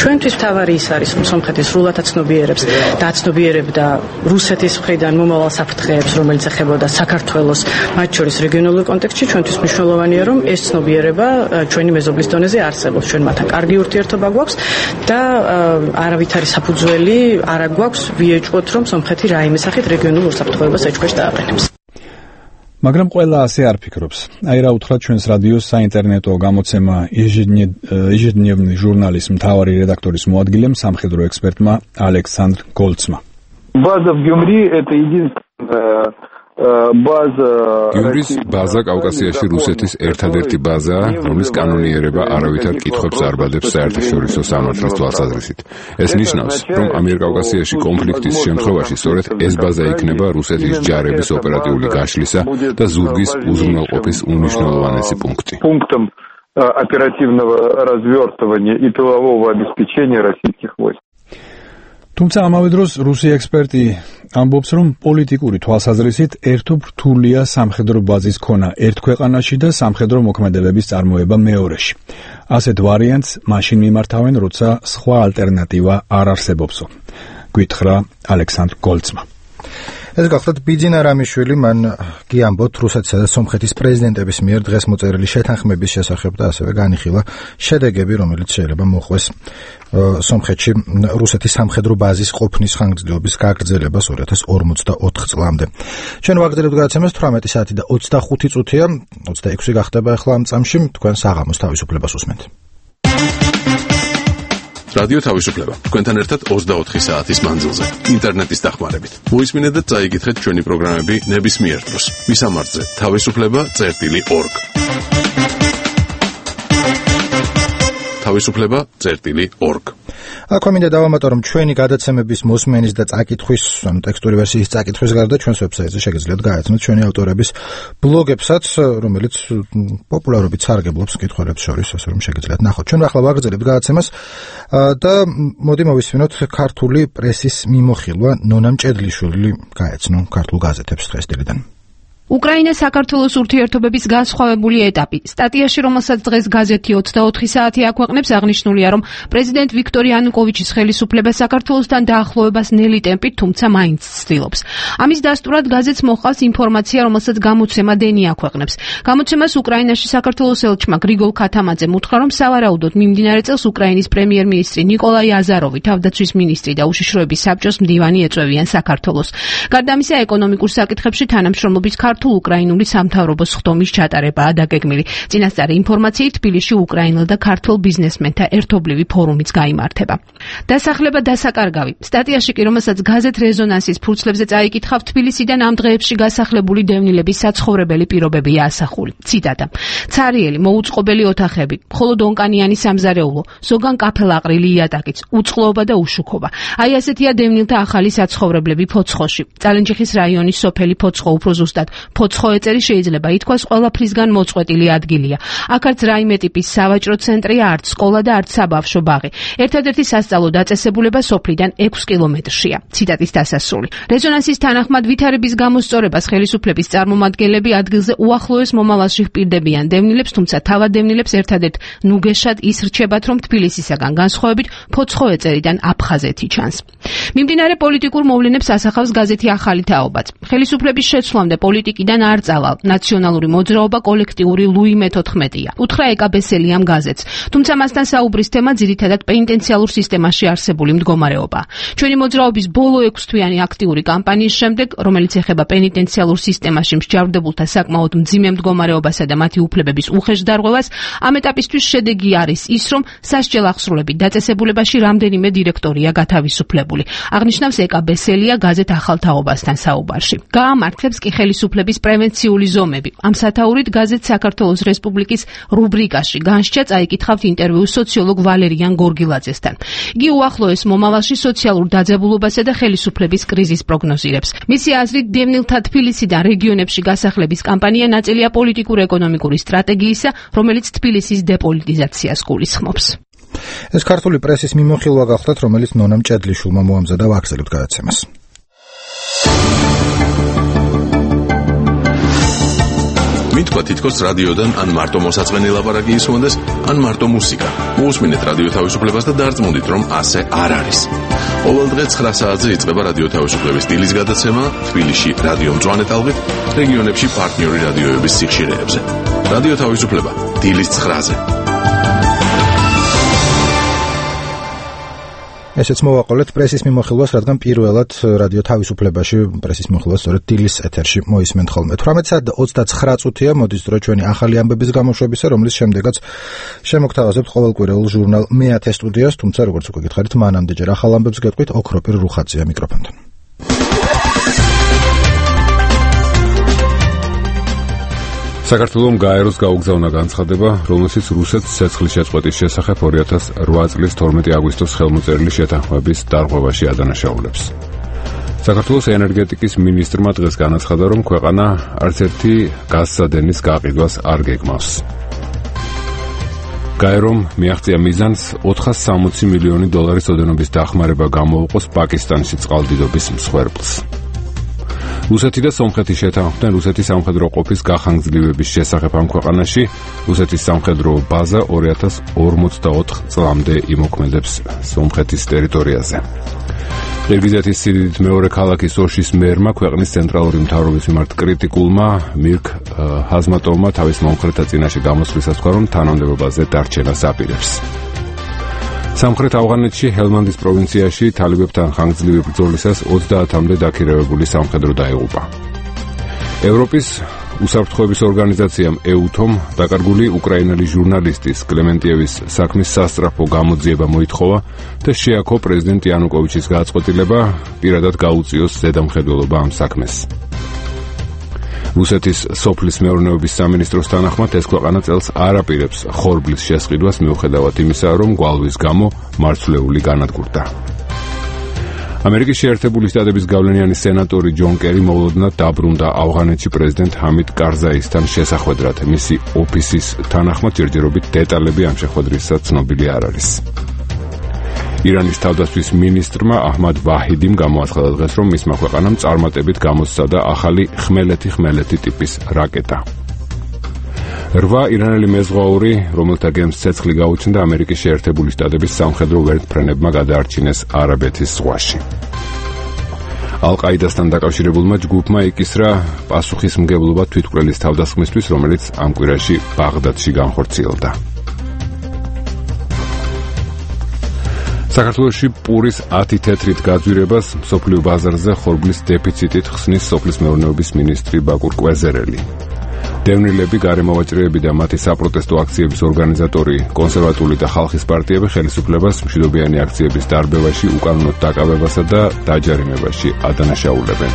ჩვენთვის მთავარი ის არის, რომ სომხეთი სრულად აცნობიერებს და აცნობიერებდა რუსეთის მხრიდან მომავალ საფრთხეებს, რომელიც ეხებოდა საქართველოს, მათ შორის რეგიონულ კონტექსტში. ჩვენთვის მნიშვნელოვანია, რომ ეს ცნობიერება ჩვენი მეზობლის დონეზე არსებობს. ჩვენ მათთან კარგი ურთიერთობა გვაქვს და არავითარი საფუძველი არ გვაქვს ვიეჭვოთ, რომ სომხეთი რაიმე სახით რეგიონულ უსაფრთხოებას ეჭვქვეშ დააყენებს. მაგრამ ყველა ასე არ ფიქრობს. აი რა უთხრა ჩვენს რადიოს საინტერნეტო გამოცემა ежедневный ჟურნალის მთავარი რედაქტორის მოადგილემ, სამხედრო ექსპერტმა ალექსანდრ გოლცმა. База в Гюмри это единственная გიუმრის ბაზა კავკასიაში რუსეთის ერთადერთი ბაზაა, რომლის კანონიერება არავითარ კითხვებს არ ბადებს საერთაშორისო სამართლის თვალსაზრისით. ეს ნიშნავს, რომ ამიერკავკასიაში კონფლიქტის შემთხვევაში სწორედ ეს ბაზა იქნება რუსეთის ჯარების ოპერატიული გაშლისა და ზურგის უზრუნველყოფის უმნიშვნელოვანესი პუნქტი. Пунктом оперативного развертывания и тылового обеспечения российских войск. თუმცა ამავე დროს რუსი ექსპერტი ამბობს, რომ პოლიტიკური თვალსაზრისით ერთობ რთულია სამხედრო ბაზის ქონა ერთ ქვეყანაში და სამხედრო მოქმედებების წარმოება მეორეში. ასეთ ვარიანტს მაშინ მიმართავენ, როცა სხვა ალტერნატივა არ არსებობსო. გითხრა ალექსანდრ გოლცმა. ეს გახლავთ ბიძინა რამიშვილი, მან გიამბოთ რუსეთსა და სომხეთის პრეზიდენტების მიერ დღეს მოწერილი შეთანხმების შესახებ და ასევე განიხილა შედეგები, რომელიც შეიძლება მოხვეს სომხეთში რუსეთის სამხედრო ბაზის ყოფნის ხანგრძლივობის გაგრძელებას 2044 წლამდე. ჩვენ ვაგრძელებთ გადაცემას 18 საათი და 25 წუთია, 26 გახდება ახლა ამ წამში, თქვენ საღამოს თავისუფლებას უსმენთ. რადიო თავისუფლება. თქვენთან ერთად 24 საათის მანძილზე, ინტერნეტის დახმარებით. მოისმინეთ და წაიკითხეთ ჩვენი პროგრამები ნებისმიერ დროს. მისამართზე თავისუფლება.org. თავისუფლება.org. აქვე მინდა დავამატო, რომ ჩვენი გადაცემების მოსმენის და წაკითხვის, ანუ ტექსტური ვერსიის წაკითხვის გარდა ჩვენს ვებსაიტზე შეგიძლიათ გაეცნოთ ჩვენი ავტორების ბლოგებსაც, რომელიც პოპულარობით სარგებლობს მკითხველებს შორის, ასე რომ შეგიძლიათ ნახოთ. ჩვენ ახლა ვაგრძელებთ გადაცემას და მოდი მოვისმინოთ ქართული პრესის მიმოხილვა. ნონა მჭედლიშვილი გაეცნო ქართულ გაზეთებს დღეს დილიდან. უკრაინა-საქართველოს ურთიერთობების განსხვავებული ეტაპი. სტატიაში, რომელსაც დღეს გაზეთი 24 საათი აქვეყნებს, აღნიშნულია, რომ პრეზიდენტ ვიქტორ იანუკოვიჩის ხელისუფლება საქართველოსთან დაახლოებას ნელი ტემპით, თუმცა მაინც ცდილობს. ამის დასტურად გაზეთს მოჰყავს ინფორმაცია, რომელსაც გამოცემა დენი აქვეყნებს. გამოცემას უკრაინაში საქართველოს ელჩმა გრიგოლ ქათამაძემ უთხრა, რომ სავარაუდოდ მიმდინარე წელს უკრაინის პრემიერ-მინისტრი ნიკოლაი აზაროვი, თავდაცვის მინისტრი და უშიშროების საბჭოს მდივანი ეწვევიან საქართველოს. გარდა ამისა, ეკონომიკურ საკითხებში თანამშრომლობის ქართულ-უკრაინული სამთავრობო სხდომის ჩატარებაა დაგეგმილი. წინასწარი ინფორმაციით, თბილისში უკრაინელ და ქართულ ბიზნესმენთა ერთობლივი ფორუმიც გაიმართება. დასახლება დასაკარგავი. სტატიაში კი, რომელსაც გაზეთ რეზონანსის ფურცლებზე წაიკითხავ, თბილისიდან ამ დღეებში გასახლებული დევნილების საცხოვრებელი პირობებია ასახული. ციტატა: ცარიელი, მოუწყობელი ოთახები, მხოლოდ ონკანიანი სამზარეულო, ზოგან კაფელაყრილი იატაკიც, უწყლოობა და უშუქობა. აი ასეთია დევნილთა ახალი საცხოვრებლები ფოცხოში. წალენჯიხის რაიონის სოფელი ფოცხო, უფრო ზუსტად ფოცხო ეწერი შეიძლება ითქვას ყველაფრისგან მოწყვეტილი ადგილია. აქ არც რაიმე ტიპის სავაჭრო ცენტრია, არც სკოლა და არც საბავშვო ბაღი. ერთადერთი სასწავლო დაწესებულება სოფლიდან 6 კილომეტრშია. ციტატის დასასრული. რეზონანსის თანახმად ვითარების გამოსწორებას ხელისუფლების წარმომადგენლები ადგილზე უახლოეს მომავალში ჰპირდებიან დევნილებს, თუმცა თავად დევნილებს ერთადერთ ნუგეშად ის რჩებათ, რომ თბილისისაგან განსხვავებით ფოცხო ეწერიდან აფხაზეთი ჩანს. მიმდინარე პოლიტიკურ მოვლენებს ასახავს გაზეთი ახალი თაობაც. ხელისუფლების შეცვლამდე პოლიტიკიდან არ წავალ. ნაციონალური მოძრაობა კოლექტიური ლუი მე-14-ია. უთხრა ეკაბესელი ამ გაზეთს. თუმცა მასთან საუბრის თემა ძირითადად პენიტენციალურ სისტემაში არსებული მდგომარეობა. ჩვენი მოძრაობის ბოლო 6 თვიანი აქტიური კამპანიის შემდეგ, რომელიც ეხება პენიტენციალურ სისტემაში მსჯავრდებულთა საკმაოდ მძიმე მდგომარეობასა და მათი უფლებების უხეშ დარღვევას, ამ ეტაპისთვის შედეგი არის ის, რომ სასჯელ აღსრულებით დაწესებულებაში რამდენიმე დირექტორია გათავისუფლებული. აღნიშნავს ეკაბესელია გაზეთ ახალ თაობასთან საუბარში. გაამართლებს კი ხელისუფლების პრევენციული ზომები. ამ სათაურით გაზეთ საქართველოს რესპუბლიკის რუბრიკაში განსჯა წაიკითხავთ ინტერვიუ სოციოლოგ ვალერიან გორგილაძესთან. იგი უახლოეს მომავალში სოციალურ დაძაბულობასა და ხელისუფლების კრიზისს პროგნოზირებს. მისი აზრით, დევნილთა თბილისიდან რეგიონებში გასახლების კამპანია ნაწილია პოლიტიკურ-ეკონომიკური სტრატეგიისა, რომელიც თბილისის დეპოლიტიზაციას გულისხმობს. ეს ქართული პრესის მიმოხილვა გახლავთ, რომელიც ნონა მჭედლიშვილმა მოამზადა ვაგრძელებთ გადაცემას. მითქვა თითქოს რადიოდან ან მარტო მოსაწყენი ლაპარაკი ისმონდეს, ან მარტო მუსიკა. მოусმინეთ რადიო თავისუფლებას და დარწმუნდით, რომ ასე არ არის. ყოველდღე 9 საათზე იწყება რადიო თავისუფლების სტილის გადაცემა თბილისში რადიო მწვანე ტალღით, რეგიონებში პარტნიორი რადიოების სიხშირეებზე. რადიო თავისუფლება დილის 9-ზე. ესეც მოვაყოლეთ პრესის მიმოხილვას, რადგან პირველად რადიო თავისუფლებაში პრესის მიმოხილვას სწორედ დილის ეთერში მოისმენთ ხოლმე. 18:29 წუთია, მოდის დრო ჩვენი ახალი ამბების გამოშვებისა, რომლის შემდეგაც შემოგთავაზებთ ყოველკვირეულ ჟურნალ მეათე სტუდიას, თუმცა როგორც უკვე გითხარით, მანამდე ჯერ ახალ ამბებს გეტყვით, ოქროპირ რუხაძეა მიკროფონთან. საქართველოს გაეროს გაუგზავნა განცხადება, რომელშიც რუსეთს ცეცხლის შეწყვეტის შესახებ 2008 წლის 12 აგვისტოს ხელმოწერილი შეთანხმების დარღვევაში ადანაშაულებს. საქართველოს ენერგეტიკის მინისტრმა დღეს განაცხადა, რომ ქვეყანა არც ერთი გაზსადენის გაყიდვას არ გეგმავს. გაერომ მიაღწია მიზანს 460 მილიონი დოლარის ოდენობის დახმარება გამოუყოს პაკისტანში წყალდიდობის მსხვერპლს. რუსეთი და სომხეთი შეთანხმდნენ რუსეთის სამხედრო ყოფის გახანგრძლივების შესახებ ამ ქვეყანაში. რუსეთის სამხედრო ბაზა 2044 წლამდე იმოქმედებს სომხეთის ტერიტორიაზე. ყირგიზეთის სიდიდით მეორე ქალაქი სოშის მერმა ქვეყნის ცენტრალური მთავრობის მიმართ კრიტიკულმა მირქ ჰაზმატოვმა თავის მომხრეთა წინაშე გამოსვლისას თქვა, რომ თანამდებობაზე დარჩენას აპირებს. სამხრეთ ავღანეთში ჰელმანდის პროვინციაში თალიბებთან ხანგრძლივი ბრძოლისას 30-მდე დაქირავებული სამხედრო დაიღუპა. ევროპის უსაფრთხოების ორგანიზაციამ EUTOM დაკარგული უკრაინელი ჟურნალისტის კლემენტიევის საქმის სასწრაფო გამოძიება მოითხოვა და შეაქო პრეზიდენტ იანუკოვიჩის გადაწყვეტილება პირადად გაუწიოს ზედამხედველობა ამ საქმეს. რუსეთის სოფლის მეურნეობის სამინისტროს თანახმად ეს ქვეყანა წელს არ აპირებს ხორბლის შესყიდვას მიუხედავად იმისა, რომ გვალვის გამო მარცვლეული განადგურდა. ამერიკის შეერთებული შტატების გავლენიანი სენატორი ჯონ კერი მოულოდნელად დაბრუნდა ავღანეთში პრეზიდენტ ჰამიდ კარზაისთან შესახვედრად. მისი ოფისის თანახმად ჯერჯერობით დეტალები ამ შეხვედრისა ცნობილი არ არის. ირანის თავდაცვის მინისტრმა აჰმად ვაჰიდიმ გამოაცხადა დღეს, რომ მისმა ქვეყანამ წარმატებით გამოსცადა ახალი ხმელეთი ტიპის რაკეტა. 8 ირანელი მეზღვაური, რომელთა გემს ცეცხლი გაუჩნდა, ამერიკის შეერთებული შტატების სამხედრო ვერტმფრენებმა გადაარჩინეს არაბეთის ზღვაში. ალ-ყაიდასთან დაკავშირებულმა ჯგუფმა იკისრა პასუხისმგებლობა თვითმკვლელის თავდასხმისთვის, რომელიც ამ კვირაში ბაღდადში განხორციელდა. საქართველოში პურის 10 თეთრით გაძვირებას მსოფლიო ბაზარზე ხორბლის დეფიციტით ხსნის სოფლის მეურნეობის მინისტრი ბაკურ კვეზერელი. დევნილები, გარემოვაჭრეები და მათი საპროტესტო აქციების ორგანიზატორი, კონსერვატული და ხალხის პარტიები ხელისუფლებას მშვიდობიანი აქციების დარბევაში, უკანონოდ დაკავებასა და დაჯარიმებაში ადანაშაულებენ.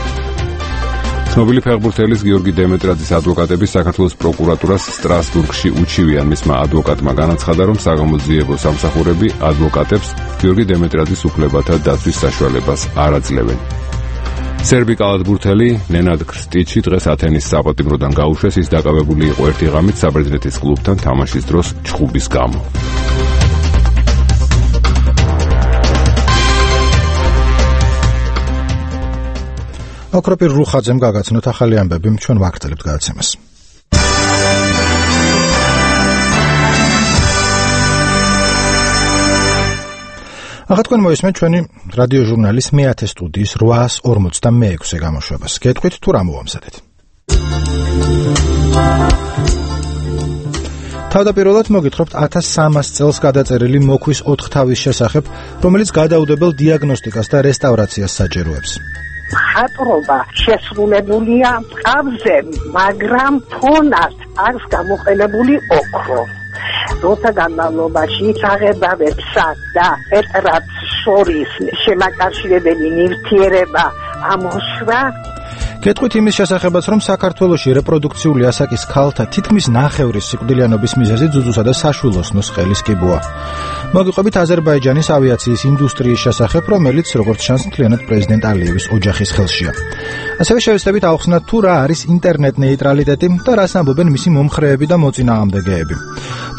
ცნობილი ფეხბურთელის გიორგი დემეტრაძის ადვოკატები საქართველოს პროკურატურას სტრასბურგში უჩივიან. მისმა ადვოკატმა განაცხადა, რომ საგამოძიებო სამსახურები ადვოკატებს გიორგი დემეტრაძის უფლებათა დაცვის საშუალებას არ აძლევენ. სერბი კალათბურთელი ნენად კრსტიჩი დღეს ათენის საპატიმროდან გაუშვეს. ის დაკავებული იყო ერთი ღამით საბერძნეთის კლუბთან თამაშის დროს ჩხუბის გამო. ოქროპირ რუხაძემ გაგაცნოთ ახალი ამბები, ჩვენ ვაგრძელებთ გადაცემას. ახლა თქვენ მოისმენთ ჩვენი რადიო ჟურნალის მეათე სტუდიის 846 გამოშვებას. გეტყვით თუ რა მოვამზადეთ. თავდაპირველად მოგითხრობთ 1300 წელს გადაწერილი მოქვის 4 თავის შესახებ, რომელიც გადაუდებელ დიაგნოსტიკას და რესტავრაციას საჭიროებს. ხატრობა შესრულებულია მყავზე, მაგრამ ფონად აქვს გამოყენებული ოქრო. როცა განმავლობაში წაღებავებსა და ეტრატს შორის შემაკავშირებელი ნივთიერება ამოშვა. გეტყვით იმის შესახებაც, რომ საქართველოში რეპროდუქციული ასაკის ქალთა თითქმის ნახევრის სიკვდილიანობის მიზეზი ძუძუსა და საშვილოსნოს ყელის კიბოა. მოგიყვებით აზერბაიჯანის ავიაციის ინდუსტრიის შესახებ, რომელიც როგორც ჩანს მთლიანად პრეზიდენტ ალიევის ოჯახის ხელშია. ასევე შევეცდებით ავხსნათ თუ რა არის ინტერნეტ ნეიტრალიტეტი და რას ამბობენ მისი მომხრეები და მოწინააღმდეგეები.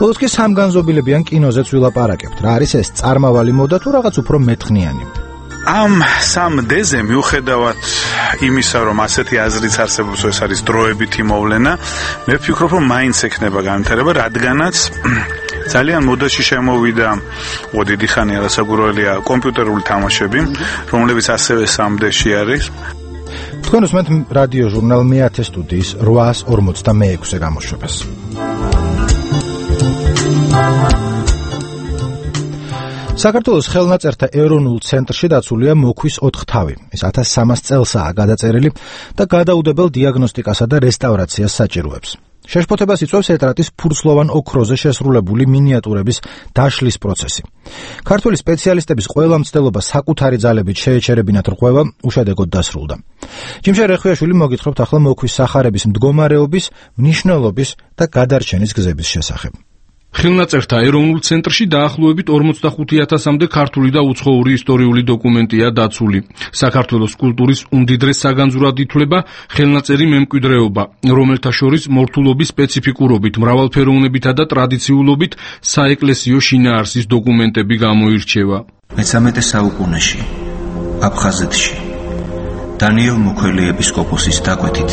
ბოლოს კი სამგანზომილებიან კინოზეც ვილაპარაკებთ. რა არის ეს წარმავალი მოდა თუ რაღაც უფრო მეტხნიანი? ამ სამ დეზე მიუხედავად იმისა, რომ ასეთი აზრიც არსებობს, ეს არის დროებითი მოვლენა, მე ვფიქრობ, რომ მაინც ექნება განვითარება, რადგანაც ძალიან მოდაში შემოვიდა, დიდი ხანია რასაკვირველია, კომპიუტერული თამაშები, რომლებიც ასევე სამდეში არის. თქვენ უსმენთ რადიო ჟურნალ მე-10 სტუდიის 846-ე გამოშვებას. საქართველოს ხელნაწერთა ეროვნულ ცენტრში დაცულია მოქვის 4 თავი. ეს 1300 წელსაა გადაწერილი და გადაუდებელ დიაგნოსტიკასა და რესტავრაციას საჭიროებს. შეშფოთებას იწვევს ეტრატის ფურცლოვან ოქროზე შესრულებული მინიატურების დაშლის პროცესი. ქართული სპეციალისტების ყველა მცდელობა საკუთარი ძალებით შეეჩერებინათ რღვევა უშედეგოდ დასრულდა. ჯიმშე რეხვიაშვილი მოგითხრობთ ახლა მოქვის სახარების მდგომარეობის, მნიშვნელობის და გადარჩენის გზების შესახებ. ხელნაწერთა ეროვნულ ცენტრში დაახლოებით 45,000-მდე ქართული და უცხოური ისტორიული დოკუმენტია დაცული. საქართველოს კულტურის უმდიდრეს საგანძურად ითვლება ხელნაწერი მემკვიდრეობა, რომელთა შორის მორთულობის სპეციფიკურობით, მრავალფეროვნებითა და ტრადიციულობით საეკლესიო შინაარსის დოკუმენტები გამოირჩევა. მე-13 საუკუნეში აფხაზეთში დანიელ მოქველი ეპისკოპოსის დაკვეთით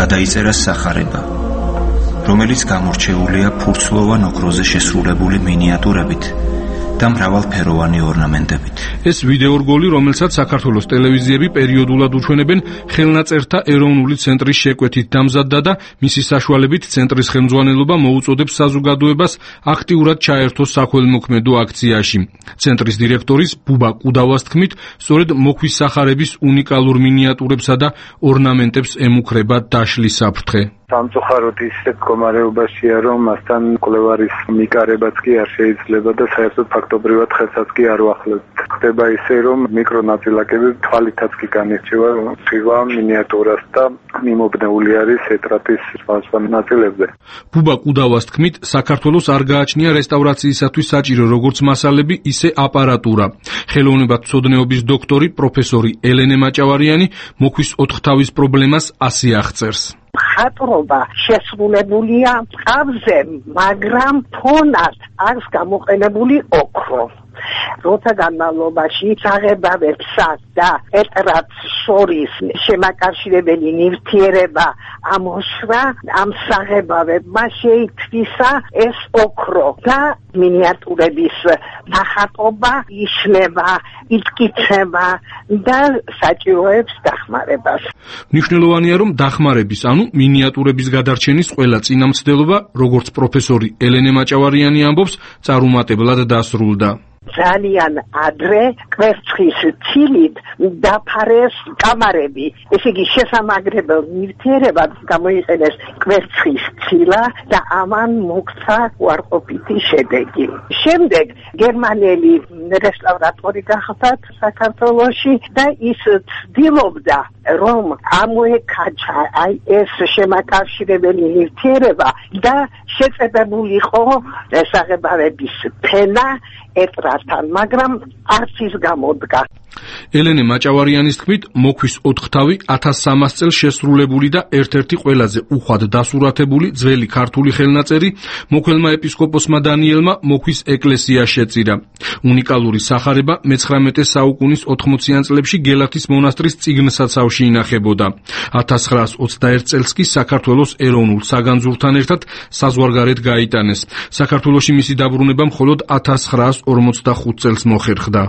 გადაიწერა სახარება, რომელიც გამორჩეულია ფურცლოვან ოქროზე შესრულებული მინიატურებით და მრავალფეროვანი ორნამენტებით. ეს ვიდეორგოლი, რომელსაც საქართველოს ტელევიზიები პერიოდულად უჩვენებენ, ხელნაწერთა ეროვნული ცენტრის შეკვეთით დამზადდა და მისი საშუალებით ცენტრის ხელმძღვანელობა მოუწოდებს საზოგადოებას აქტიურად ჩაერთოს საქველმოქმედო აქციაში. ცენტრის დირექტორის ბუბა კუდავას თქმით, სწორედ მოქვის სახარების უნიკალურ მინიატურებსა და ორნამენტებს ემუქრება დაშლის საფრთხე. სამწუხაროდ ისეთ მდგომარეობაშია, რომ მასთან კვლევარის მიკარებაც კი არ შეიძლება და საერთოდ ფაქტობრივად ხელსაც კი არ ვახლებთ. ხდება ისე, რომ მიკრონაწილაკები თვალითაც კი განირჩევა ხილვა მინიატურას და მიმობნეული არის ეტრატის სხვა ნაწილებზე. ბუბა კუდავას თქმით, საქართველოს არ გააჩნია რესტავრაციისათვის საჭირო როგორც მასალები, ისე აპარატურა. ხელოვნებათმცოდნეობის დოქტორი პროფესორი ელენე მაჭავარიანი მოქვის 4 თავის პრობლემას ასე აღწერს. ხატრობა შესრულებულია ყავზე, მაგრამ ფონად აქვს გამოყენებული ოქრო. როცა განმავლობაში საღებავებსა და ეტრატს შორის შემაკავშირებელი ნივთიერება ამოშვა, ამ საღებავებმა შეითვისა ეს ოქრო და მინიატურების ნახატობა იშლება, იკითხება და საჭიროებს დახმარებას. მნიშვნელოვანია, რომ დახმარების, ანუ მინიატურების გადარჩენის ყველა წინამცდელობა, როგორც პროფესორი ელენე მაჭავარიანი ამბობს, წარუმატებლად დასრულდა. ძალიან ადრე კვერცხის ცილით დაფარეს კამარები. ესე იგი შესამაგრებელ ნივთიერებად გამოიყენეს კვერცხის ცილა და ამან მოქცა უარყოფითი შედეგი. შემდეგ გერმანელი რესტავრატორი გახდათ საქართველოში და ის ცდილობდა, რომ ამოეკაჩა ეს შემაკავშირებელი ნივთიერება და შეწებებულიყო საღებავების ფენა ეტრატთან, მაგრამ არც ის გამოდგა. ელენე მაჭავარიანის თქმით, მოქვის 4 თავი 1300 წელს შესრულებული და ერთ-ერთი ყველაზე უხვად დასურათებული ძველი ქართული ხელნაწერი მოქველმა ეპისკოპოსმა დანიელმა მოქვის ეკლესია შეწირა. უნიკალური სახარება მე-19 საუკუნის 80-იან წლებში გელათის მონასტრის წიგნსაცავში ინახებოდა. 1921 წელს კი საქართველოს ეროვნულ საგანძურთან ერთად საზღვარგარეთ გაიტანეს. საქართველოში მისი დაბრუნება მხოლოდ 1945 წელს მოხერხდა.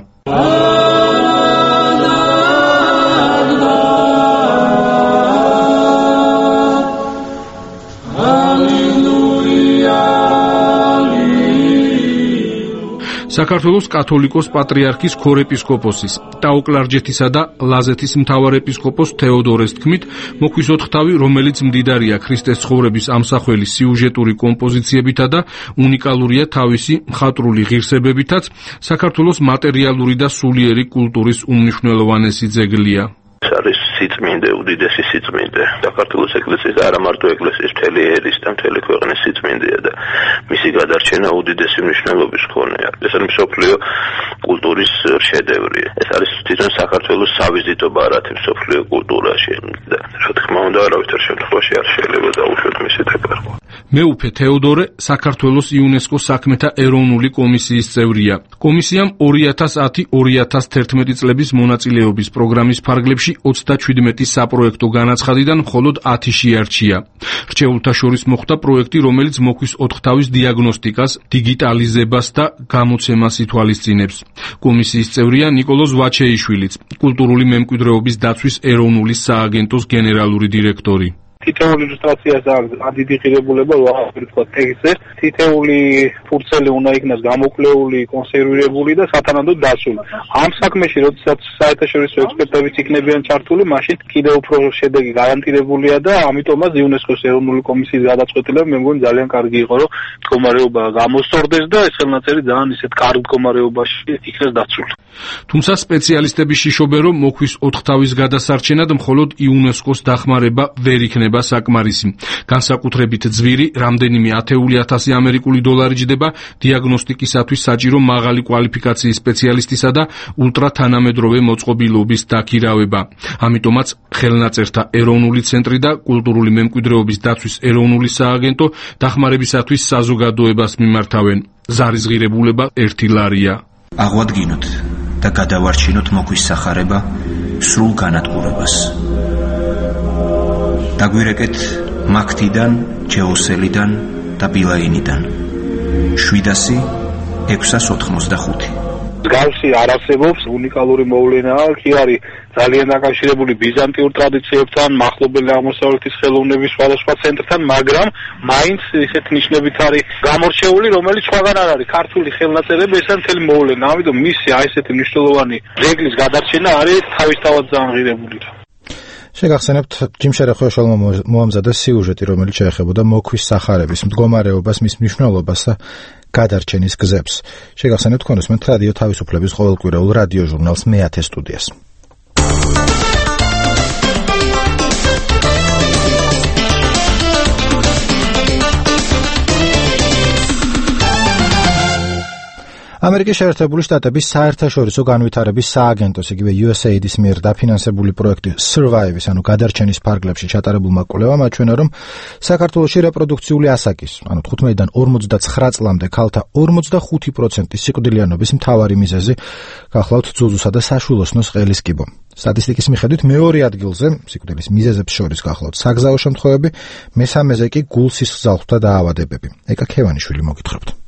საქართველოს კათოლიკოს პატრიარქის ქორეპისკოპოსის, ტაო-კლარჯეთისა და ლაზეთის მთავარეპისკოპოს თეოდორეს თქმით, მოქვის 4 თავი, რომელიც მდიდარია ქრისტეს ცხოვრების ამსახველი სიუჟეტური კომპოზიციებითა და უნიკალურია თავისი მხატვრული ღირსებებითაც, საქართველოს მატერიალური და სულიერი კულტურის უმნიშვნელოვანესი ძეგლია. ეს არის სიწმინდე, უდიდესი სიწმინდე. საქართველოს ეკლესიის და არა მარტო ეკლესიის, მთელი ერის და მთელი ქვეყნის სიწმინდეა და მისი გადარჩენა უდიდესი მნიშვნელობის მქონეა. ეს არის მსოფლიო კულტურის შედევრი. ეს არის თვითონ საქართველოს სავიზიტო ბარათი მსოფლიო კულტურაში და რა თქმა უნდა, არავითარ შემთხვევაში არ შეიძლება დაუშვათ მისი დაკარგვა. მეუფე თეოდორე საქართველოს იუნესკოს საქმეთა ეროვნული კომისიის წევრია. კომისიამ 2010-2011 წლების მონაწილეობის პროგრამის ფარგლებში 37 საპროექტო განაცხადიდან მხოლოდ 10 შეარჩია. რჩეულთა შორის მოხვდა პროექტი, რომელიც მოქვის 4 თავის დიაგნოსტიკას, დიგიტალიზებას და გამოცემას ითვალისწინებს. კომისიის წევრია ნიკოლოზ ვაჩეიშვილიც, კულტურული მემკვიდრეობის დაცვის ეროვნული სააგენტოს გენერალური დირექტორი. თითოეული ილუსტრაციას აქვს დიდი ღირებულება, ვაღარ თქვა ტექსტზე. თითოეული ფურცელი უნდა იქნას გამოკლეული, კონსერვირებული და სათანადოდ დასული. ამ საქმეში, როდესაც საერთაშორისო ექსპერტებიც იქნებიან ჩართული, მაშინ კიდევ უფრო შედეგი გარანტირებულია და ამიტომაც იუნესკოს ეროვნული კომისიის გადაწყვეტილება მე მგონი ძალიან კარგი იყო, რომ მდგომარეობა გამოსწორდეს და ეს ხელნაწერი ძალიან ისეთ კარგ მდგომარეობაში იქნას დაცული. თუმცა სპეციალისტები შიშობენ, რომ მოქვის 4 თავის გადასარჩენად მხოლოდ იუნესკოს დახმარება ვერ იქნება საკმარისი. განსაკუთრებით ძვირი, რამდენიმე 10,000 ამერიკული დოლარი ჯდება დიაგნოსტიკისათვის საჭირო მაღალი კვალიფიკაციის სპეციალისტისა და ულტრათანამედროვე მოწყობილობის დაქირავება. ამიტომაც ხელნაწერთა ეროვნული ცენტრი და კულტურული მემკვიდრეობის დაცვის ეროვნული სააგენტო დახმარებისათვის საზოგადოებას მიმართავენ. ზარისღირებულება 1 ლარია. აღვადგინოთ და გადავარჩინოთ მოქვის სახარება სრულ განადგურებას. დაგვირეკეთ მაქთიდან, ჯეოსელიდან და ბილაინიდან 700-685. მსგავსი არ არსებობს, უნიკალური მოვლენაა, კი არის ძალიან დაკავშირებული ბიზანტიურ ტრადიციებთან, მახლობელი აღმოსავლეთის ხელოვნების სხვადასხვა ცენტრთან, მაგრამ მაინც ისეთ ნიშნებით არის გამორჩეული, რომელიც სხვაგან არ არის. ქართული ხელნაწერები ეს არის მთელი მოვლენა, ამიტომ მისი აი ესეთი მნიშვნელოვანი ძეგლის გადარჩენა არის თავისთავად ძალიან ღირებული. შეგახსენებთ ჯიმ შერეხოშალმა მოამზადეს სიუჟეტი, რომელიც შეეხებოდა მოქვის სახარების მდგომარეობას, მის მნიშვნელობას და გადარჩენის გზებს. შეგახსენებთ თქვენ უსმენთ რადიო თავისუფლების ყოველკვირეულ რადიო ჟურნალს მე-10 სტუდიას. ამერიკის შეერთებული შტატების საერთაშორისო განვითარების სააგენტოს, იგივე USAID-ის მიერ დაფინანსებული პროექტი Survive-ის, ანუ გადარჩენის ფარგლებში ჩატარებულმა კვლევამ აჩვენა, რომ საქართველოში რეპროდუქციული ასაკის, ანუ 15-დან 59 წლამდე ქალთა 45% სიკვდილიანობის მთავარი მიზეზი გახლავთ ძუძუსა და საშვილოსნოს ყელის კიბო. სტატისტიკის მიხედვით მეორე ადგილზე სიკვდილის მიზეზებს შორის გახლავთ საგზაო შემთხვევები, მესამეზე კი გულსის ზალხთა დაავადებები. ეკა ქევანიშვილი მოგითხრობთ.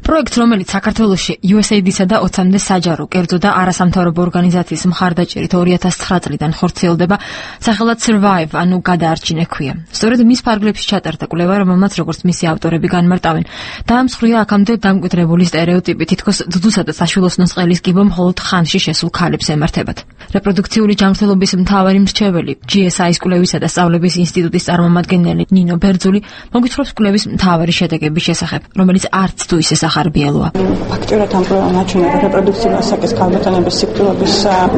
პროექტს, რომელიც საქართველოში USAID-სა და 20-მდე საჯარო, კერძო და არასამთავრობო ორგანიზაციის მხარდაჭერით 2009 წლიდან ხორციელდება, სახელად Survive, ანუ გადაარჩინე ქვია. სწორედ მის ფარგლებში ჩატარდა კვლევა, რომელმაც როგორც მისი ავტორები განმარტავენ, დაამსხვრია აქამდე დამკვიდრებული სტერეოტიპი, თითქოს ძუძუსა და საშვილოსნოს ყელის კიბო მხოლოდ ხანში შესულ ქალებს ემართებათ. რეპროდუქციული ჯანმრთელობის მთავარი მრჩეველი, GSI-ის კვლევისა და სწავლების ინსტიტუტის წარმომადგენელი ნინო ბერძული მოგვითხრობს კვლევის მთავარი შედეგების შესახებ, რომელიც არც თუ ისე ახარბიელოა. ფაქტურად ამ პრობლემამ აჩვენა, რომ რეპროდუქციული ასაკის ქალბატონების სიკვდილების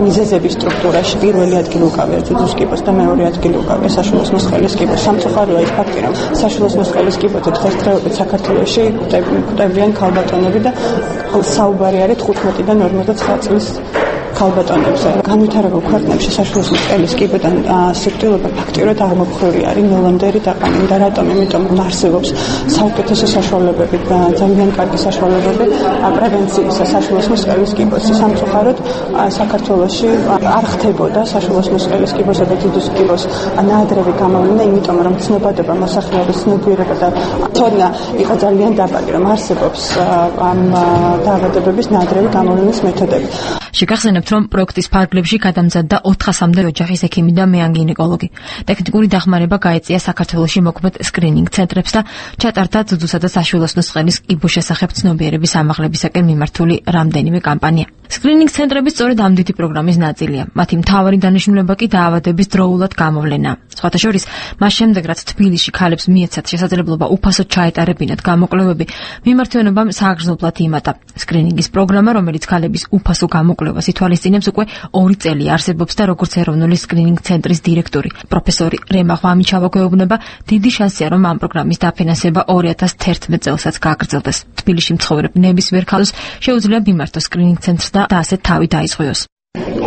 მიზეზების სტრუქტურაში პირველი ადგილი უკავია ძუძუს კიბოს და მეორე ადგილი უკავია საშვილოსნოს ყელის კიბოს. სამწუხაროა ის ფაქტი, რომ საშვილოსნოს ყელის კიბოზე დღესდღეობით საქართველოში გვხვდებიან ქალბატონები და საუბარი არის 15-დან 59 წლის ქალბატონებზე. განვითარებულ ქვეყნებში საშვილოსნოს ყელის კიბოდან სიკვდილობა ფაქტურად აღმოფხვეული არის, ნელამდერი დაყანდა. რატომ? იმიტომ რომ არსებობს საუკეთესო საშუალებები, ძალიან კარგი საშუალებები პრევენციისა საშვილოსნოს ყელის კიბოს. სამწუხაროდ საქართველოში არ ხდებოდა საშვილოსნოს ყელის კიბოსა და ძუძუს კიბოს ნაადრევი გამოვიდა, იმიტომ რომ ცნობადობა, მოსახლეობის ცნობიერება და თორნა იყო ძალიან დაბალი, რომ არსებობს ამ დაავადებების ნაადრევი გამოვლის მეთოდები. შეგახსენებთ, რომ პროექტის ფარგლებში გადამზადდა 400-მდე ოჯახის ექიმი და მეანგინეკოლოგი. ტექნიკური დახმარება გაეწია საქართველოში მოქმედ სკრინინგ ცენტრებს და ჩატარდა ძუძუსა და საშვილოსნოს ყელის კიბოს შესახებ ცნობიერების ამაღლებისაკენ მიმართული რამდენიმე კამპანია. სკრინინგ ცენტრები სწორედ ამ დიდი პროგრამის ნაწილია. მათი მთავარი დანიშნულება კი დაავადების დროულად გამოვლენა. სხვათა შორის, მას შემდეგ რაც თბილისში ქალებს მიეცათ შესაძლებლობა უფასოდ ჩაეტარებინათ გამოკვლევები, მიმართვენობამ სააგრძნობლად იმატა. სკრინინგის პროგრამა, რომელიც ქალების უფასო გამოკვლევას ითვალისწინებს, უკვე 2 წელი არსებობს და როგორც ეროვნული სკრინინგ ცენტრის დირექტორი, პროფესორი რემა ღვამიჩავა გვეუბნება, დიდი შანსია, რომ ამ პროგრამის დაფინანსება 2011 წელსაც გაგრძელდეს. თბილისში მცხოვრებ ნებისმიერ ქალს შეუძლია მიმართოს სკრინინგ ცენტრს და ასეთ თავი დაისხოოს.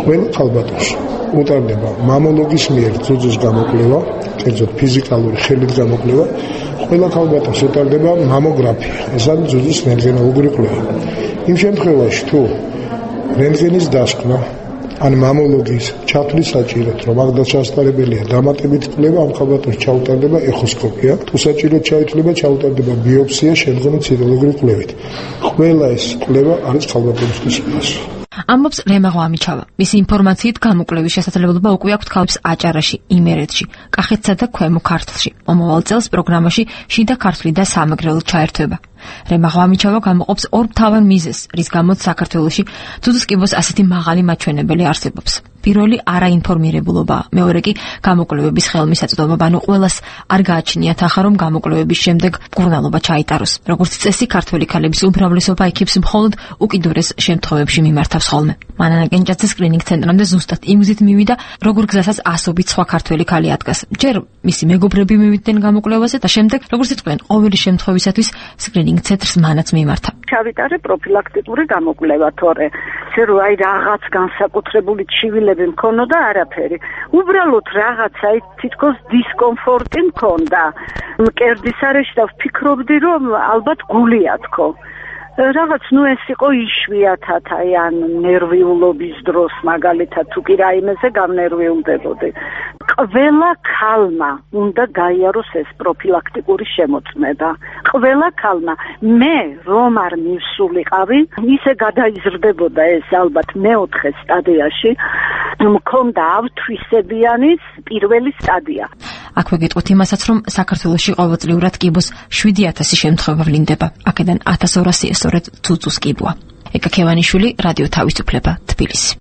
ყველა ქალბატონს უტარდება მამოლოგის მიერ ძუძუს გამოკვლევა, კერძოდ ფიზიკალური ხელით გამოკვლევა. ყველა ქალბატონს უტარდება მამოგრაფია, ეს არის ძუძუს რენტგენოლოგიური კვლევა. იმ შემთხვევაში, თუ რენტგენის დასკვნა ან მამოლოგის ჩათვლის საჭიროდ, რომ აქ დასასწრებელია დამატებით კვლევა, ამ ქალბატონს ჩაუტარდება ეხოსკოპია, თუ საჭიროდ ჩაითვლება, ჩაუტარდება ბიოპსია, შემდგომი ციტოლოგიური კვლევით. ყველა ეს კვლევა არის ქალბატონისთვის უფასო. ამბობს რემა ღვამიჩავა. მისი ინფორმაციით გამოკვლევის შესაძლებლობა უკვე აქვთ ქალებს აჭარაში, იმერეთში, კახეთსა და ქვემო ქართლში. მომავალ წელს პროგრამაში შიდა ქართლი და სამეგრელო ჩაერთვება. რემა ღვამიჩავა გამოყოფს 2 მთავარ მიზეზს, რის გამოც საქართველოში ძუძუს კიბოს ასეთი მაღალი მაჩვენებელი არსებობს. პირველი არაინფორმირებულობა, მეორე კი გამოკვლევების ხელმისაწვდომობა, ანუ ყველას არ გააჩნიათ ახლა რომ გამოკვლევების შემდეგ მკურნალობა ჩაიტაროს. როგორც წესი, ქართველი ქალების უმრავლესობა იქებს მხოლოდ უკიდურეს შემთხვევებში მიმართავს ხოლმე. მანანა კენჭაძე სკრინინგ ცენტრამდე ზუსტად იმ გზით მივიდა, როგორ გზასაც ასობით სხვა ქართველი ქალი ადგას. ჯერ მისი მეგობრები მივიდნენ გამოკვლევაზე და შემდეგ, როგორც იტყვიან, ყოველი შემთხვევისათვის სკრინინგ ცენტრს მანაც მიმართა. ჩავიტარე პროფილაქტიკური გამოკვლევა, თორე რო აი რაღაც განსაკუთრებული ჩივილები მქონოდა არაფერი. უბრალოდ რაღაცა თითქოს დისკომფორტი მქონდა. მკერდის არეში და ვფიქრობდი, რომ ალბათ გულია თქო. რაღაც ეს იყო იშვიათად აი ან ნერვიულობის დროს მაგალითად თუ კი რაიმეზე გამნერვიულდებოდი. ყველა ქალმა უნდა გაიაროს ეს პროფილაქტიკური შემოწმება. ყველა ქალმა. მე რომ არ მივსულიყავი, ისე გადაიზრდებოდა ეს ალბათ მეოთხე სტადიაში, მქონდა ავთვისებიანის პირველი სტადია. აქვე გეტყვით იმასაც, რომ საქართველოში ყოველწლიურად კიბოს 7000 შემთხვევა ვლინდება. აქედან 1200 სწორედ ძუძუს კიბოა. ეკა ქევანიშვილი, რადიო თავისუფლება, თბილისი.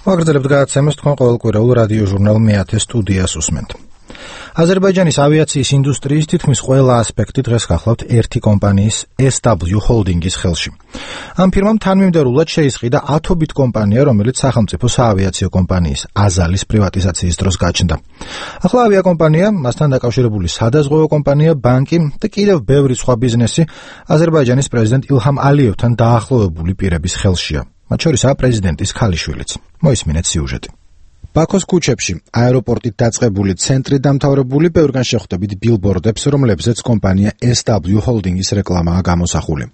ვაგრძელებთ გადაცემას თქვენ ყოველკვირეულ რადიო ჟურნალ მე-10 სტუდიას უსმენთ. აზერბაიჯანის ავიაციის ინდუსტრიის თითქმის ყველა ასპექტი დღეს გახლავთ ერთი კომპანიის SW Holding-ის ხელში. ამ ფირმამ თანმიმდევრულად შეისყიდა ათობით კომპანია, რომელიც სახელმწიფო საავიაციო კომპანიის აზალის პრივატიზაციის დროს გაჩნდა. ახლა ავიაკომპანია, მასთან დაკავშირებული სადაზღვევო კომპანია, ბანკი და კიდევ ბევრი სხვა ბიზნესი აზერბაიჯანის პრეზიდენტ ილჰამ ალიევთან დაახლოებული პირების ხელშია. მათ შორისაა პრეზიდენტის ქალიშვილიც. მოისმინეთ სიუჟეტი. ბაქოს ქუჩებში, აეროპორტით დაწყებული ცენტრი დამთავრებული ბევრგან შეხვდებით ბილბორდებს, რომლებზეც კომპანია SW Holding-ის რეკლამაა გამოსახული.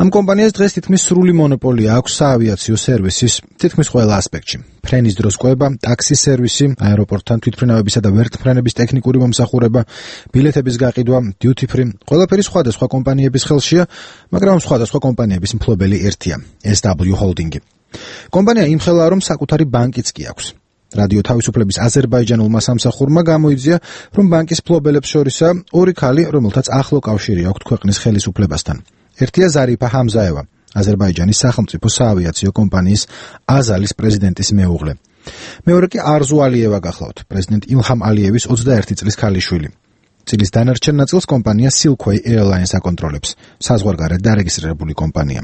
ამ კომპანიას დღეს თითქმის სრული მონოპოლია აქვს საავიაციო სერვისის თითქმის ყველა ასპექტში. ფრენის დროს კვება, ტაქსის სერვისი, აეროპორტთან თვითმფრინავებისა და ვერტმფრენების ტექნიკური მომსახურება, ბილეთების გაყიდვა, duty free, ყველაფერი სხვადასხვა კომპანიების ხელშია, მაგრამ სხვადასხვა კომპანიების მფლობელი ერთია, SW Holding-ი. კომპანია იმხელა, რომ საკუთარი ბანკიც კი აქვს. რადიო თავისუფლების აზერბაიჯანულმა სამსახურმა გამოიძია, რომ ბანკის მფლობელებს შორისაა 2 ქალი, რომელთაც ახლო კავშირი აქვთ ქვეყნის ხელისუფლებასთან. ერთია ზარიფა ჰამზაევა, აზერბაიჯანის სახელმწიფო საავიაციო კომპანიის აზალის პრეზიდენტის მეუღლე. მეორე კი არზუ ალიევა გახლავთ, პრეზიდენტ ილჰამ ალიევის 21 წლის ქალიშვილი. წილის დანარჩენ ნაწილს კომპანია Silkway Airlines აკონტროლებს, საზღვარგარეთ დარეგისტრირებული კომპანია.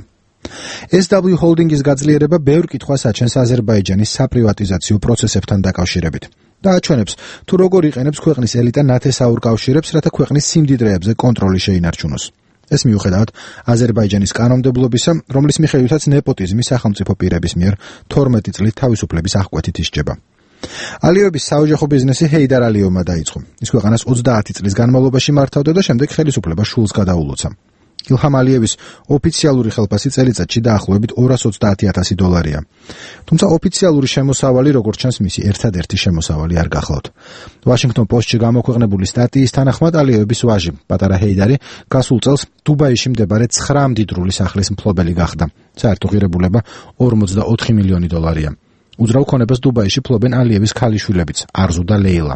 SW Holding-ის გაძლიერება ბევრ კითხვას აჩენს აზერბაიჯანის საპრივატიზაციო პროცესებთან დაკავშირებით და აჩვენებს, თუ როგორ იყენებს ქვეყნის ელიტა ნათესაურ კავშირებს, რათა ქვეყნის სიმდიდრეებზე კონტროლი შეინარჩუნოს. ეს მიუხედავად აზერბაიჯანის კანონმდებლობისა, რომლის მიხედვითაც ნეპოტიზმი სახელმწიფო პირების მიერ 12 წლით თავისუფლების აღკვეთით ისჯება. ალიევების საოჯახო ბიზნესი ჰეიდარ ალიევმა დაიწყო. ის ქვეყანას 30 წლის განმავლობაში მართავდა და შემდეგ ხელისუფლება შულს გადაულოცა. ილჰამ ალიევის ოფიციალური ხელფასი წელიწადში დაახლოებით $230,000. თუმცა ოფიციალური შემოსავალი, როგორც ჩანს, მისი ერთადერთი შემოსავალი არ გახლავთ. ვაშინგტონ პოსტში გამოქვეყნებული სტატიის თანახმად ალიევების ვაჟი, პატარა ჰეიდარი, გასულ წელს დუბაიში მდებარე 9 მდიდრული სახლის მფლობელი გახდა. საერთო ღირებულება $44 მილიონი. უძრავ ქონებას დუბაიში ფლობენ ალიევის ქალიშვილებიც, არზუ და ლეილა.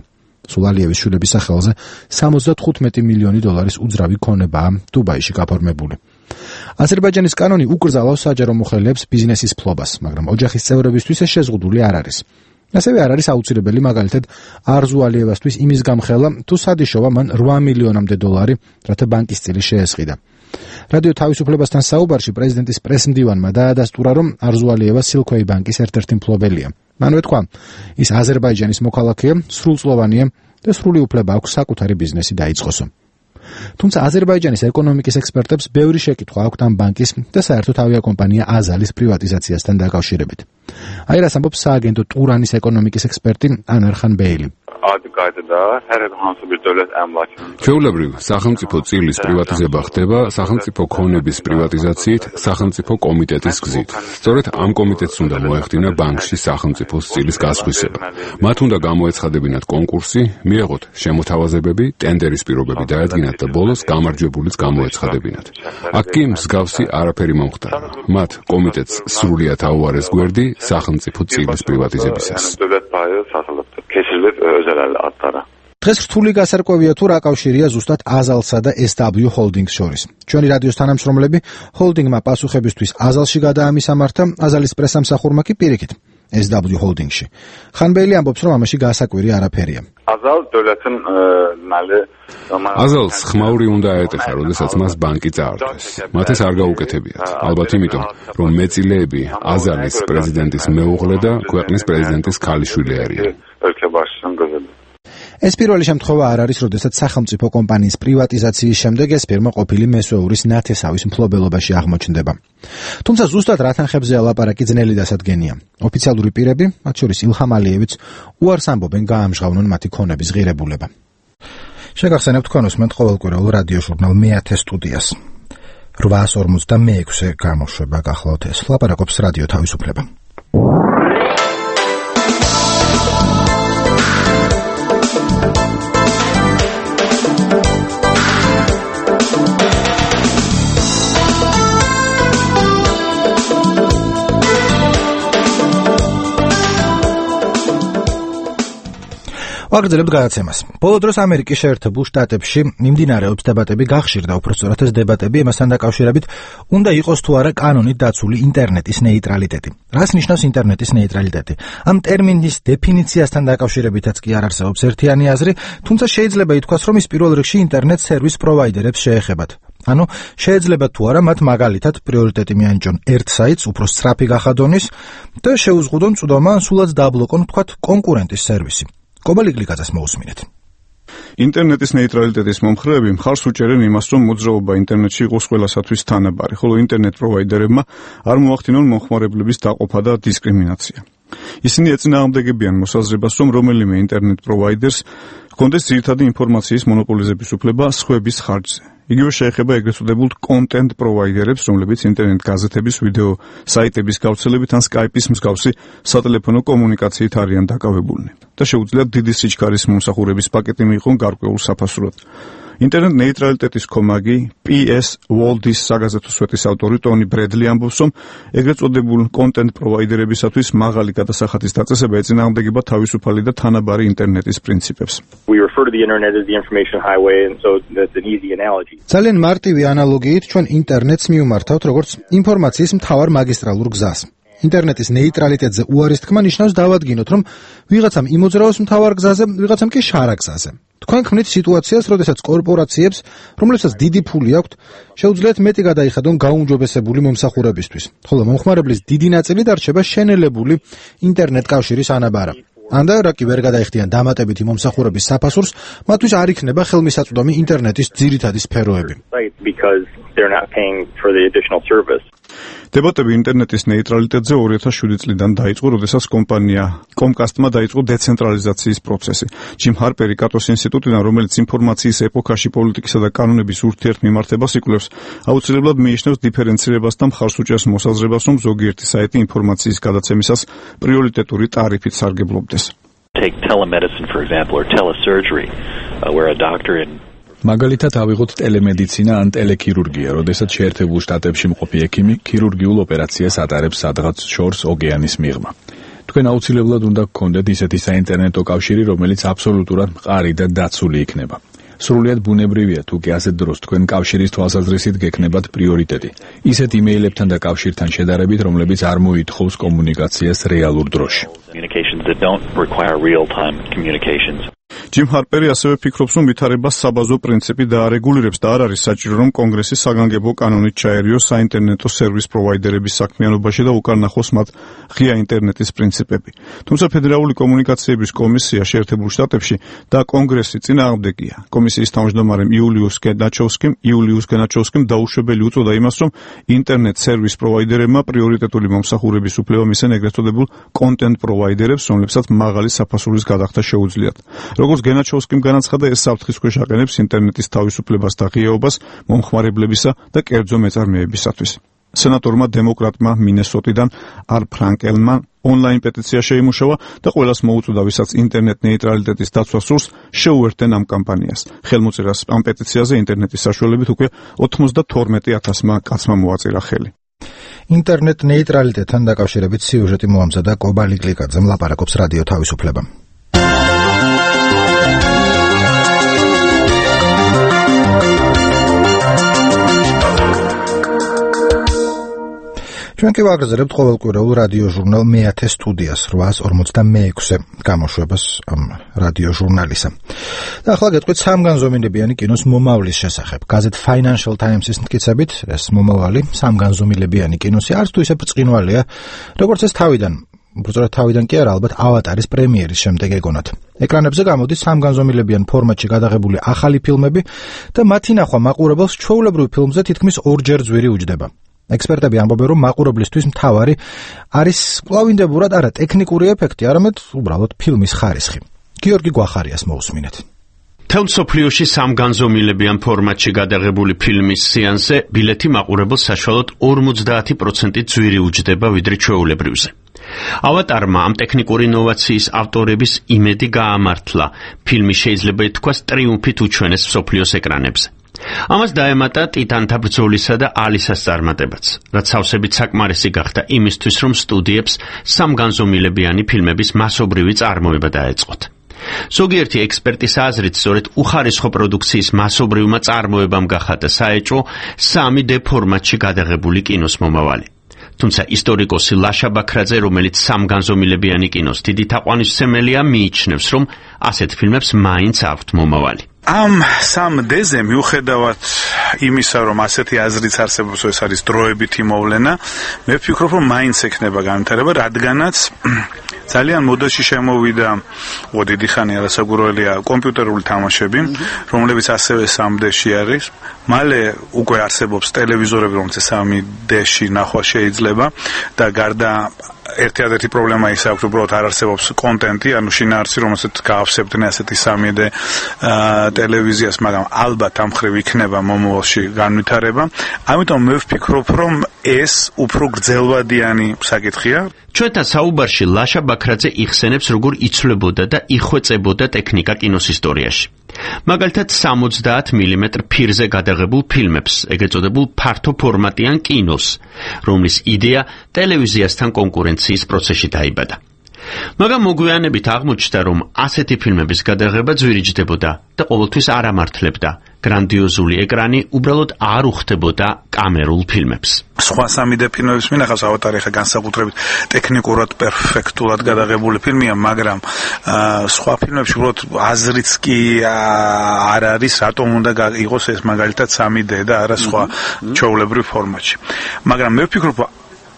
სულ ალიევის შვილების სახელზე 75 მილიონი დოლარის უძრავი ქონებაა დუბაიში გაფორმებული. აზერბაიჯანის კანონი უკრძალავს საჯარო მოხელეებს ბიზნესის ფლობას, მაგრამ ოჯახის წევრებისთვის ეს შეზღუდული არ არის. ასევე არ არის აუცილებელი მაგალითად არზუ ალიევასთვის იმის გამხელა, თუ სადიშოვა მან 8 მილიონამდე დოლარი, რათა ბანკის წილი შეესყიდა. რადიო თავისუფლებასთან საუბარში პრეზიდენტის პრესმდივანმა დაადასტურა, რომ არზუ ალიევა სილქვეი ბანკის ერთ-ერთი მფლობელია. მანვე თქვა, ის აზერბაიჯანის მოქალაქეა, სრულწლოვანია და სრული უფლება აქვს საკუთარი ბიზნესი დაიწყოსო. თუმცა აზერბაიჯანის ეკონომიკის ექსპერტებს ბევრი შეკითხვა აქვთ ამ ბანკის და საერთოდ ავიაკომპანია აზალის პრივატიზაციასთან დაკავშირებით. აი რას ამბობს სააგენტო ტურანის ეკონომიკის ექსპერტი ანვარ ხანბეილი. ჩვეულებრივ, სახელმწიფო წილის პრივატიზება ხდება სახელმწიფო ქონების პრივატიზაციით სახელმწიფო კომიტეტის გზით. სწორედ ამ კომიტეტს უნდა მოეხდინა ბანკში სახელმწიფოს წილის გასხვისება. მათ უნდა გამოეცხადებინათ კონკურსი, მიეღოთ შემოთავაზებები, ტენდერის პირობები დაადგინათ და ბოლოს გამარჯვებულიც გამოეცხადებინათ. აქ კი მსგავსი არაფერი მომხდარა. მათ კომიტეტს სრულიად აუარეს გვერდი სახელმწიფო წილის პრივატიზებისას. დღეს რთული გასარკვევია თუ რა კავშირია ზუსტად აზალსა და SW ჰოლდინგს შორის. ჩვენი რადიოს თანამშრომლები ჰოლდინგმა პასუხებისთვის აზალში გადაამისამართა, აზალის პრესამსახურმა კი პირიქით SW ჰოლდინგში. ხანბეილი ამბობს, რომ ამაში გასაკვირი არაფერია. აზალს ხმაური უნდა აეტეხა, როდესაც მას ბანკი წაართვეს. მათ ეს არ გაუკეთებიათ. ალბათ იმიტომ, რომ მეწილეები აზალის პრეზიდენტის მეუღლე და ქვეყნის პრეზიდენტის ქალიშვილი არიან. ეს პირველი შემთხვევა არ არის, როდესაც სახელმწიფო კომპანიის პრივატიზაციის შემდეგ ეს ფირმა ყოფილი მესვეურის ნათესავის მფლობელობაში აღმოჩნდება. თუმცა ზუსტად რა თანხებზეა ლაპარაკი ძნელი დასადგენია. ოფიციალური პირები, მათ შორის ილჰამ ალიევიც, უარს ამბობენ გაამჟღავნონ მათი ქონების ღირებულება. შეგახსენებთ თქვენ უსმენთ ყოველკვირეულ რადიო ჟურნალ მეათე სტუდიას. 856 გამოშვება გახლავთ ეს. ლაპარაკობს რადიო თავისუფლება. ვაგრძელებთ გადაცემას. ბოლო დროს ამერიკის შეერთებულ შტატებში მიმდინარეობს დებატები, გახშირდა უпростоრად ეს დებატები ამასთან დაკავშირებით, უნდა იყოს თუ არა კანონით დაცული ინტერნეტის ნეიტრალიტეტი. რას ნიშნავს ინტერნეტის ნეიტრალიტეტი? ამ ტერმინის დეფინიციასთან დაკავშირებითაც კი არ არსებობს ერთიანი აზრი, თუმცა შეიძლება ითქვას, რომ ის პირველ რიგში ინტერნეტ სერვის პროვაიდერებს შეეხებათ. ანუ შეიძლება თუ არა მათ მაგალითად პრიორიტეტი მიანიჭონ ერთ საიტს, უფრო სწრაფი გახადონის და შეუზღუდონ წვდომა, სულაც დაბლოკონ თქვათ კონკურენტის სერვისი. კობალიკლიკაძეს მოусმინეთ. ინტერნეტის ნეიტრალიტეტის მომხრეები მხარს უჭერენ იმას, რომ მოძრაობა ინტერნეტში იყოს ყველასათვის თანაბარი, ხოლო ინტერნეტ პროვაიდერებმა არ მოახდინონ მომხმარებლების დაყოფა და დისკრიმინაცია. ისინი ეწინააღმდეგებიან მოსაზრებას, რომ რომელიმე ინტერნეტ პროვაიდერს ჰქონდეს ძირითადი ინფორმაციის მონოპოლიზების უფლება სხვების ხარჯზე. იგივე შეეხება ეგრეთ წოდებულ კონტენტ პროვაიდერებს, რომლებიც ინტერნეტ გაზეთების, ვიდეო საიტების გავრცელებით ან Skype-ის მსგავსი სატელეფონო კომუნიკაციით არიან დაკავებულნი და შეუძლიათ დიდი სიჩქარის მომსახურების პაკეტი მიიღონ გარკვეულ საფასურად. ინტერნეტ ნეიტრალიტეტის კომაგი PS World-ის საგაზეთო სვეტის ავტორი ტონი ბრედლი ამბობს, რომ ეგრეთ წოდებულ კონტენტ პროვაიდერებისათვის მაღალი გადასახადის დაწესება ეწინააღმდეგება თავისუფალი და თანაბარი ინტერნეტის პრინციპებს. ძალიან მარტივი ანალოგიით ჩვენ ინტერნეტს მივმართავთ როგორც ინფორმაციის მთავარ მაგისტრალურ გზას. ინტერნეტის ნეიტრალიტეტზე უარის თქმა ნიშნავს დავადგინოთ, რომ ვიღაცამ იმოძრაოს მთავარ გზაზე, ვიღაცამ კი შარა გზაზე. თქვენ ქმნით სიტუაციას, როდესაც კორპორაციებს, რომლებსაც დიდი ფული აქვთ, შეუძლიათ მეტი გადაიხადონ გაუმჯობესებული მომსახურებისთვის, ხოლო მომხმარებლის დიდი ნაწილი დარჩება შენელებული ინტერნეტ კავშირის ანაბარა. ანდა რა კი ვერ გადაიხდიან დამატებითი მომსახურების საფასურს, მათთვის არ იქნება ხელმისაწვდომი ინტერნეტის ძირითადი სფეროები. დებატები ინტერნეტის ნეიტრალიტეტზე 2007 წლიდან დაიწყო, როდესაც კომპანია Comcast-მა დაიწყო დეცენტრალიზაციის პროცესი. ჯიმ ჰარპერი კატოს ინსტიტუტიდან, რომელიც ინფორმაციის ეპოქაში პოლიტიკისა და კანონების ურთიერთმიმართებას იკვლევს, აუცილებლად მიიჩნევს დიფერენცირებას და მხარს უჭერს მოსაზრებას, რომ ზოგიერთი საიტი ინფორმაციის გადაცემისას პრიორიტეტული ტარიფით სარგებლობდეს. Take telemedicine, for example, or telesurgery, where a doctor in მაგალითად ავიღოთ ტელემედიცინა ან ტელექირურგია, როდესაც შეერთებულ შტატებში მყოფი ექიმი ქირურგიულ ოპერაციას ატარებს სადღაც შორს ოკეანის მიღმა. თქვენ აუცილებლად უნდა გქონდეთ ისეთი საინტერნეტო კავშირი, რომელიც აბსოლუტურად მყარი და დაცული იქნება. სრულიად ბუნებრივია, თუ კი ასეთ დროს თქვენ კავშირის თვალსაზრისით გექნებათ პრიორიტეტი. ისეთ იმეილებთან და კავშირთან შედარებით, რომლებიც არ მოითხოვს კომუნიკაციას რეალურ დროში. Communications that don't require real-time communications. ჯიმ ჰარპერი ასევე ფიქრობს, რომ ვითარებას საბაზო პრინციპი დაარეგულირებს და არ არის საჭირო, რომ კონგრესი საგანგებო კანონით ჩაერიოს საინტერნეტო სერვის პროვაიდერების საქმიანობაში და უკან ნახოს მათ ღია ინტერნეტის პრინციპები. თუმცა ფედერალური კომუნიკაციების კომისია შეერთებულ შტატებში და კონგრესი წინააღმდეგია. კომისიის თავმჯდომარემ იულიუს გენაჩოვსკიმ დაუშვებელი უწოდა იმას, რომ ინტერნეტ სერვის პროვაიდერებმა პრიორიტეტული მომსახურების უფლება მისცენ ეგრეთ წოდებულ კონტენტ პროვაიდერებს, რომლებსაც მაღალი საფასურის გადახდა შეუძლიათ. როგორც გენაჩოვსკიმ განაცხადა, ეს საფრთხის ქვეშ აყენებს ინტერნეტის თავისუფლებას და ღიაობას მომხმარებლებისა და კერძო მეწარმეებისათვის. სენატორმა დემოკრატმა მინესოტიდან არ ფრანკელმა ონლაინ პეტიცია შეიმუშავა და ყველას მოუწოდა, ვისაც ინტერნეტ ნეიტრალიტეტის დაცვა სურს, შეუერთდნენ ამ კამპანიას. ხელმოწერას ამ პეტიციაზე ინტერნეტის საშუალებით უკვე 92,000 კაცმა მოაწირა ხელი. ინტერნეტ ნეიტრალიტეტთან დაკავშირებით სიუჟეტი მოამზადა კობა ლიკლიკაძემ, ლაპარაკობს რადიო თავისუფლება. ჩვენ კი ვაგრძელებთ ყოველკვირეულ რადიო ჟურნალ მე-10 სტუდიას 856-ე გამოშვებას ამ რადიო ჟურნალისა. და ახლა გეტყვით სამგანზომილებიანი კინოს მომავლის შესახებ. გაზეთ Financial Times-ის მტკიცებით, ეს მომავალი სამგანზომილებიანი კინოსი არც თუ ისე ბრწყინვალეა, როგორც ეს თავიდან კი არა, ალბათ ავატარის პრემიერის შემდეგ ეგონათ. ეკრანებზე გამოდის სამგანზომილებიან ფორმატში გადაღებული ახალი ფილმები და მათი ნახვა მაყურებელს ჩვეულებრივ ფილმზე თითქმის ორჯერ ძვირი უჯდება. ექსპერტები ამბობენ, რომ მაყურებლისთვის მთავარი არის კვლავინდებურად არა ტექნიკური ეფექტი, არამედ უბრალოდ ფილმის ხარისხი. გიორგი გვახარიას მოусმინეთ. თელ მსოფლიოში სამგანზომილებიან ფორმატში გადაღებული ფილმის სეანსზე ბილეთი მაყურებელს საშუალოდ 50% ძვირი უჯდება, ვიდრე ჩვეულებრივზე. ავატარმა ამ ტექნიკური ინოვაციის ავტორების იმედი გაამართლა. ფილმი შეიძლება ითქვას ტრიუმფით უჩვენეს მსოფლიოს ეკრანებზე. ამას დაემატა ტიტანთა ბრძოლისა და ალისას წარმატებაც, რაც სავსებით საკმარისი გახდა იმისთვის, რომ სტუდიებს სამგანზომილებიანი ფილმების მასობრივი წარმოება დაეწყოთ. ზოგიერთი ექსპერტის აზრით, სწორედ უხარისხო პროდუქციის მასობრივმა წარმოებამ გახადა საეჭვო 3D ფორმატში გადაღებული კინოს მომავალი. თუმცა ისტორიკოსი ლაშა ბაქრაძე, რომელიც სამგანზომილებიანი კინოს დიდი თაყვანისმცემელია, მიიჩნევს, რომ ასეთ ფილმებს მაინც აქვთ მომავალი. ამ 3D-ზე მიუხედავად იმისა, რომ ასეთი აზრიც არსებობს, ეს არის დროებითი მოვლენა, მე ვფიქრობ, რომ მაინც ექნება განვითარება, რადგანაც ძალიან მოდაში შემოვიდა, დიდი ხანი არასაგურველია, კომპიუტერული თამაშები, რომლებიც ასევე 3D-ში არის. მალე უკვე არსებობს ტელევიზორები, რომელსაც 3D-ში ნახვა შეიძლება და გარდა ერთადერთი პრობლემა ის აქვს, უბრალოდ არ არსებობს კონტენტი, ანუ შინაარსი, რომელსაც გაავსებდნენ ასეთი 3D ტელევიზიას, მაგრამ ალბათ ამ ხრივ იქნება მომავალში განვითარება. ამიტომ მე ვფიქრობ, რომ ეს უფრო გრძელვადიანი საკითხია. ჩვენთან საუბარში ლაშა ბაქრაძე იხსენებს, როგორ იცვლებოდა და იხვეწებოდა ტექნიკა კინოს ისტორიაში. მაგალითად 70 მმ ფირზე გადაღებულ ფილმებს, ეგრეთ წოდებულ ფართო ფორმატიან კინოს, რომლის იდეა ტელევიზიასთან კონკურენციის პროცესში დაიბადა. მაგრამ მოგვიანებით აღმოჩნდა, რომ ასეთი ფილმების გადაღება ძვირიჯდებოდა და ყოველთვის არ ამართლებდა. გრანდიოზული ეკრანი უბრალოდ არ უხდებოდა კამერულ ფილმებს. სხვა 3D ფილმების მინახავს ავატარი ხა განსაკუთრებით ტექნიკურად პერფექტულად გადაღებული ფილმია, მაგრამ სხვა ფილმებში უბრალოდ აზრიც კი არ არის, რატომ უნდა იყოს ეს მაგალითად 3D და არა სხვა ჩვეულებრივ ფორმატში. მაგრამ მე ვფიქრობ,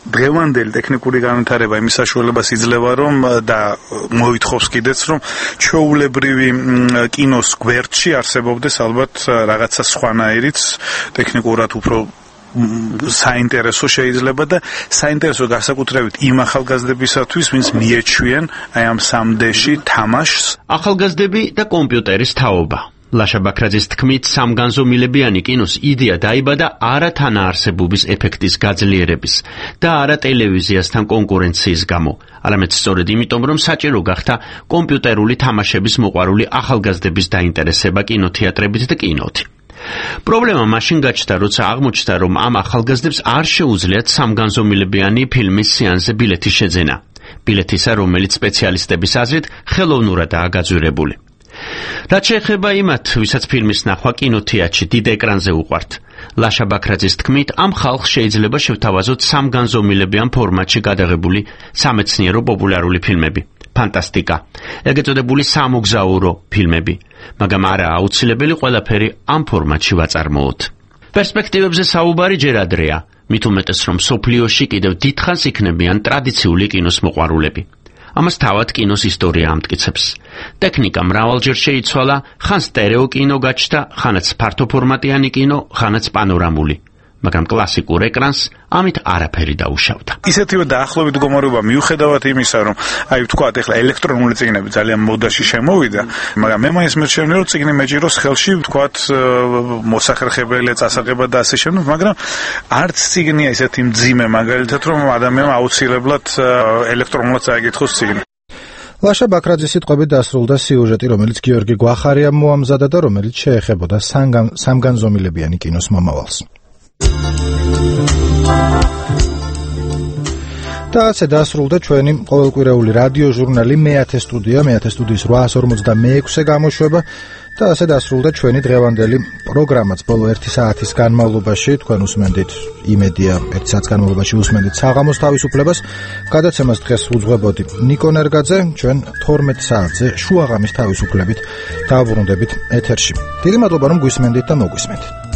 დღევანდელი ტექნიკური განვითარება იმის საშუალებას იძლევა, რომ და მოითხოვს კიდეც, რომ ჩვეულებრივი კინოს გვერდში არსებობდეს ალბათ რაღაცა სხვანაირიც, ტექნიკურად უფრო საინტერესო შეიძლება და საინტერესო განსაკუთრებით იმ ახალგაზრდებისათვის, ვინც მიეჩვიან აი ამ 3D-ში თამაშს. ახალგაზრდები და კომპიუტერის თაობა. ლაშა ბაქრაძის თქმით, სამგანზომილებიანი კინოს იდეა დაიბადა არა თანაარსებობის ეფექტის გაძლიერების და არა ტელევიზიასთან კონკურენციის გამო, არამედ სწორედ იმიტომ, რომ საჭირო გახდა კომპიუტერული თამაშების მოყვარული ახალგაზრდების დაინტერესება კინოთეატრებით და კინოთი. პრობლემა მაშინ გაჩნდა, როცა აღმოჩნდა, რომ ამ ახალგაზრდებს არ შეუძლიათ სამგანზომილებიანი ფილმის სეანსზე ბილეთის შეძენა. ბილეთისა, რომელიც სპეციალისტების აზრით ხელოვნურადაა გაძვირებული. რაც შეეხება იმათ, ვისაც ფილმის ნახვა კინოთეატრში დიდ ეკრანზე უყვართ, ლაშა ბაქრაძის თქმით, ამ ხალხს შეიძლება შევთავაზოთ სამგანზომილებიან ფორმატში გადაღებული სამეცნიერო პოპულარული ფილმები, ფანტასტიკა, ეგრეთ წოდებული სამოგზაურო ფილმები, მაგრამ არაა აუცილებელი ყველაფერი ამ ფორმატში ვაწარმოოთ. პერსპექტივებზე საუბარი ჯერ ადრეა, მით უმეტეს რომ სოფლიოში კიდევ დიდხანს იქნებიან ტრადიციული კინოს მოყვარულები. ამას თავად კინოს ისტორია ამტკიცებს. ტექნიკა მრავალჯერ შეიცვალა, ხან სტერეო კინო გაჩნდა, ხანაც ფართოფორმატიანი კინო, ხანაც პანორამული. მაგრამ კლასიკურ ეკრანს ამით არაფერი დაუშავდა. ისეთივე დაახლოებით მდგომარეობა მიუხედავად იმისა, რომ ვთქვათ, ეხლა ელექტრონული წიგნები ძალიან მოდაში შემოვიდა, მაგრამ მე მაინც მერჩენია, რომ წიგნი მეჭიროს ხელში, ვთქვათ, მოსახერხებელი წასაღება და ასე შემდეგ, მაგრამ არც წიგნია ისეთი მძიმე, მაგალითად, რომ ადამიანმა აუცილებლად ელექტრონულად წაეკითხოს წიგნი. ლაშა ბაქრაძის სიტყვებით დასრულდა სიუჟეტი, რომელიც გიორგი გვახარიამ მოამზადა და რომელიც შეეხებოდა სამგანზომილებიანი კინოს მომავალს. და ასე დასრულდა ჩვენი ყოველკვირეული რადიო ჟურნალი მეათე სტუდია, მეათე სტუდიის 856-ე გამოშვება და ასე დასრულდა ჩვენი დღევანდელი პროგრამაც. ბოლო 1 საათის განმავლობაში თქვენ უსმენდით იმედია 1 საათის განმავლობაში უსმენდით საღამოს თავისუფლებას. გადაცემას დღეს უძღვებოდი ნიკო ნერგაძე, ჩვენ 12 საათზე შუაღამის თავისუფლებით დავბრუნდებით ეთერში. დიდი მადლობა რომ გვისმენდით და მოგვისმენთ.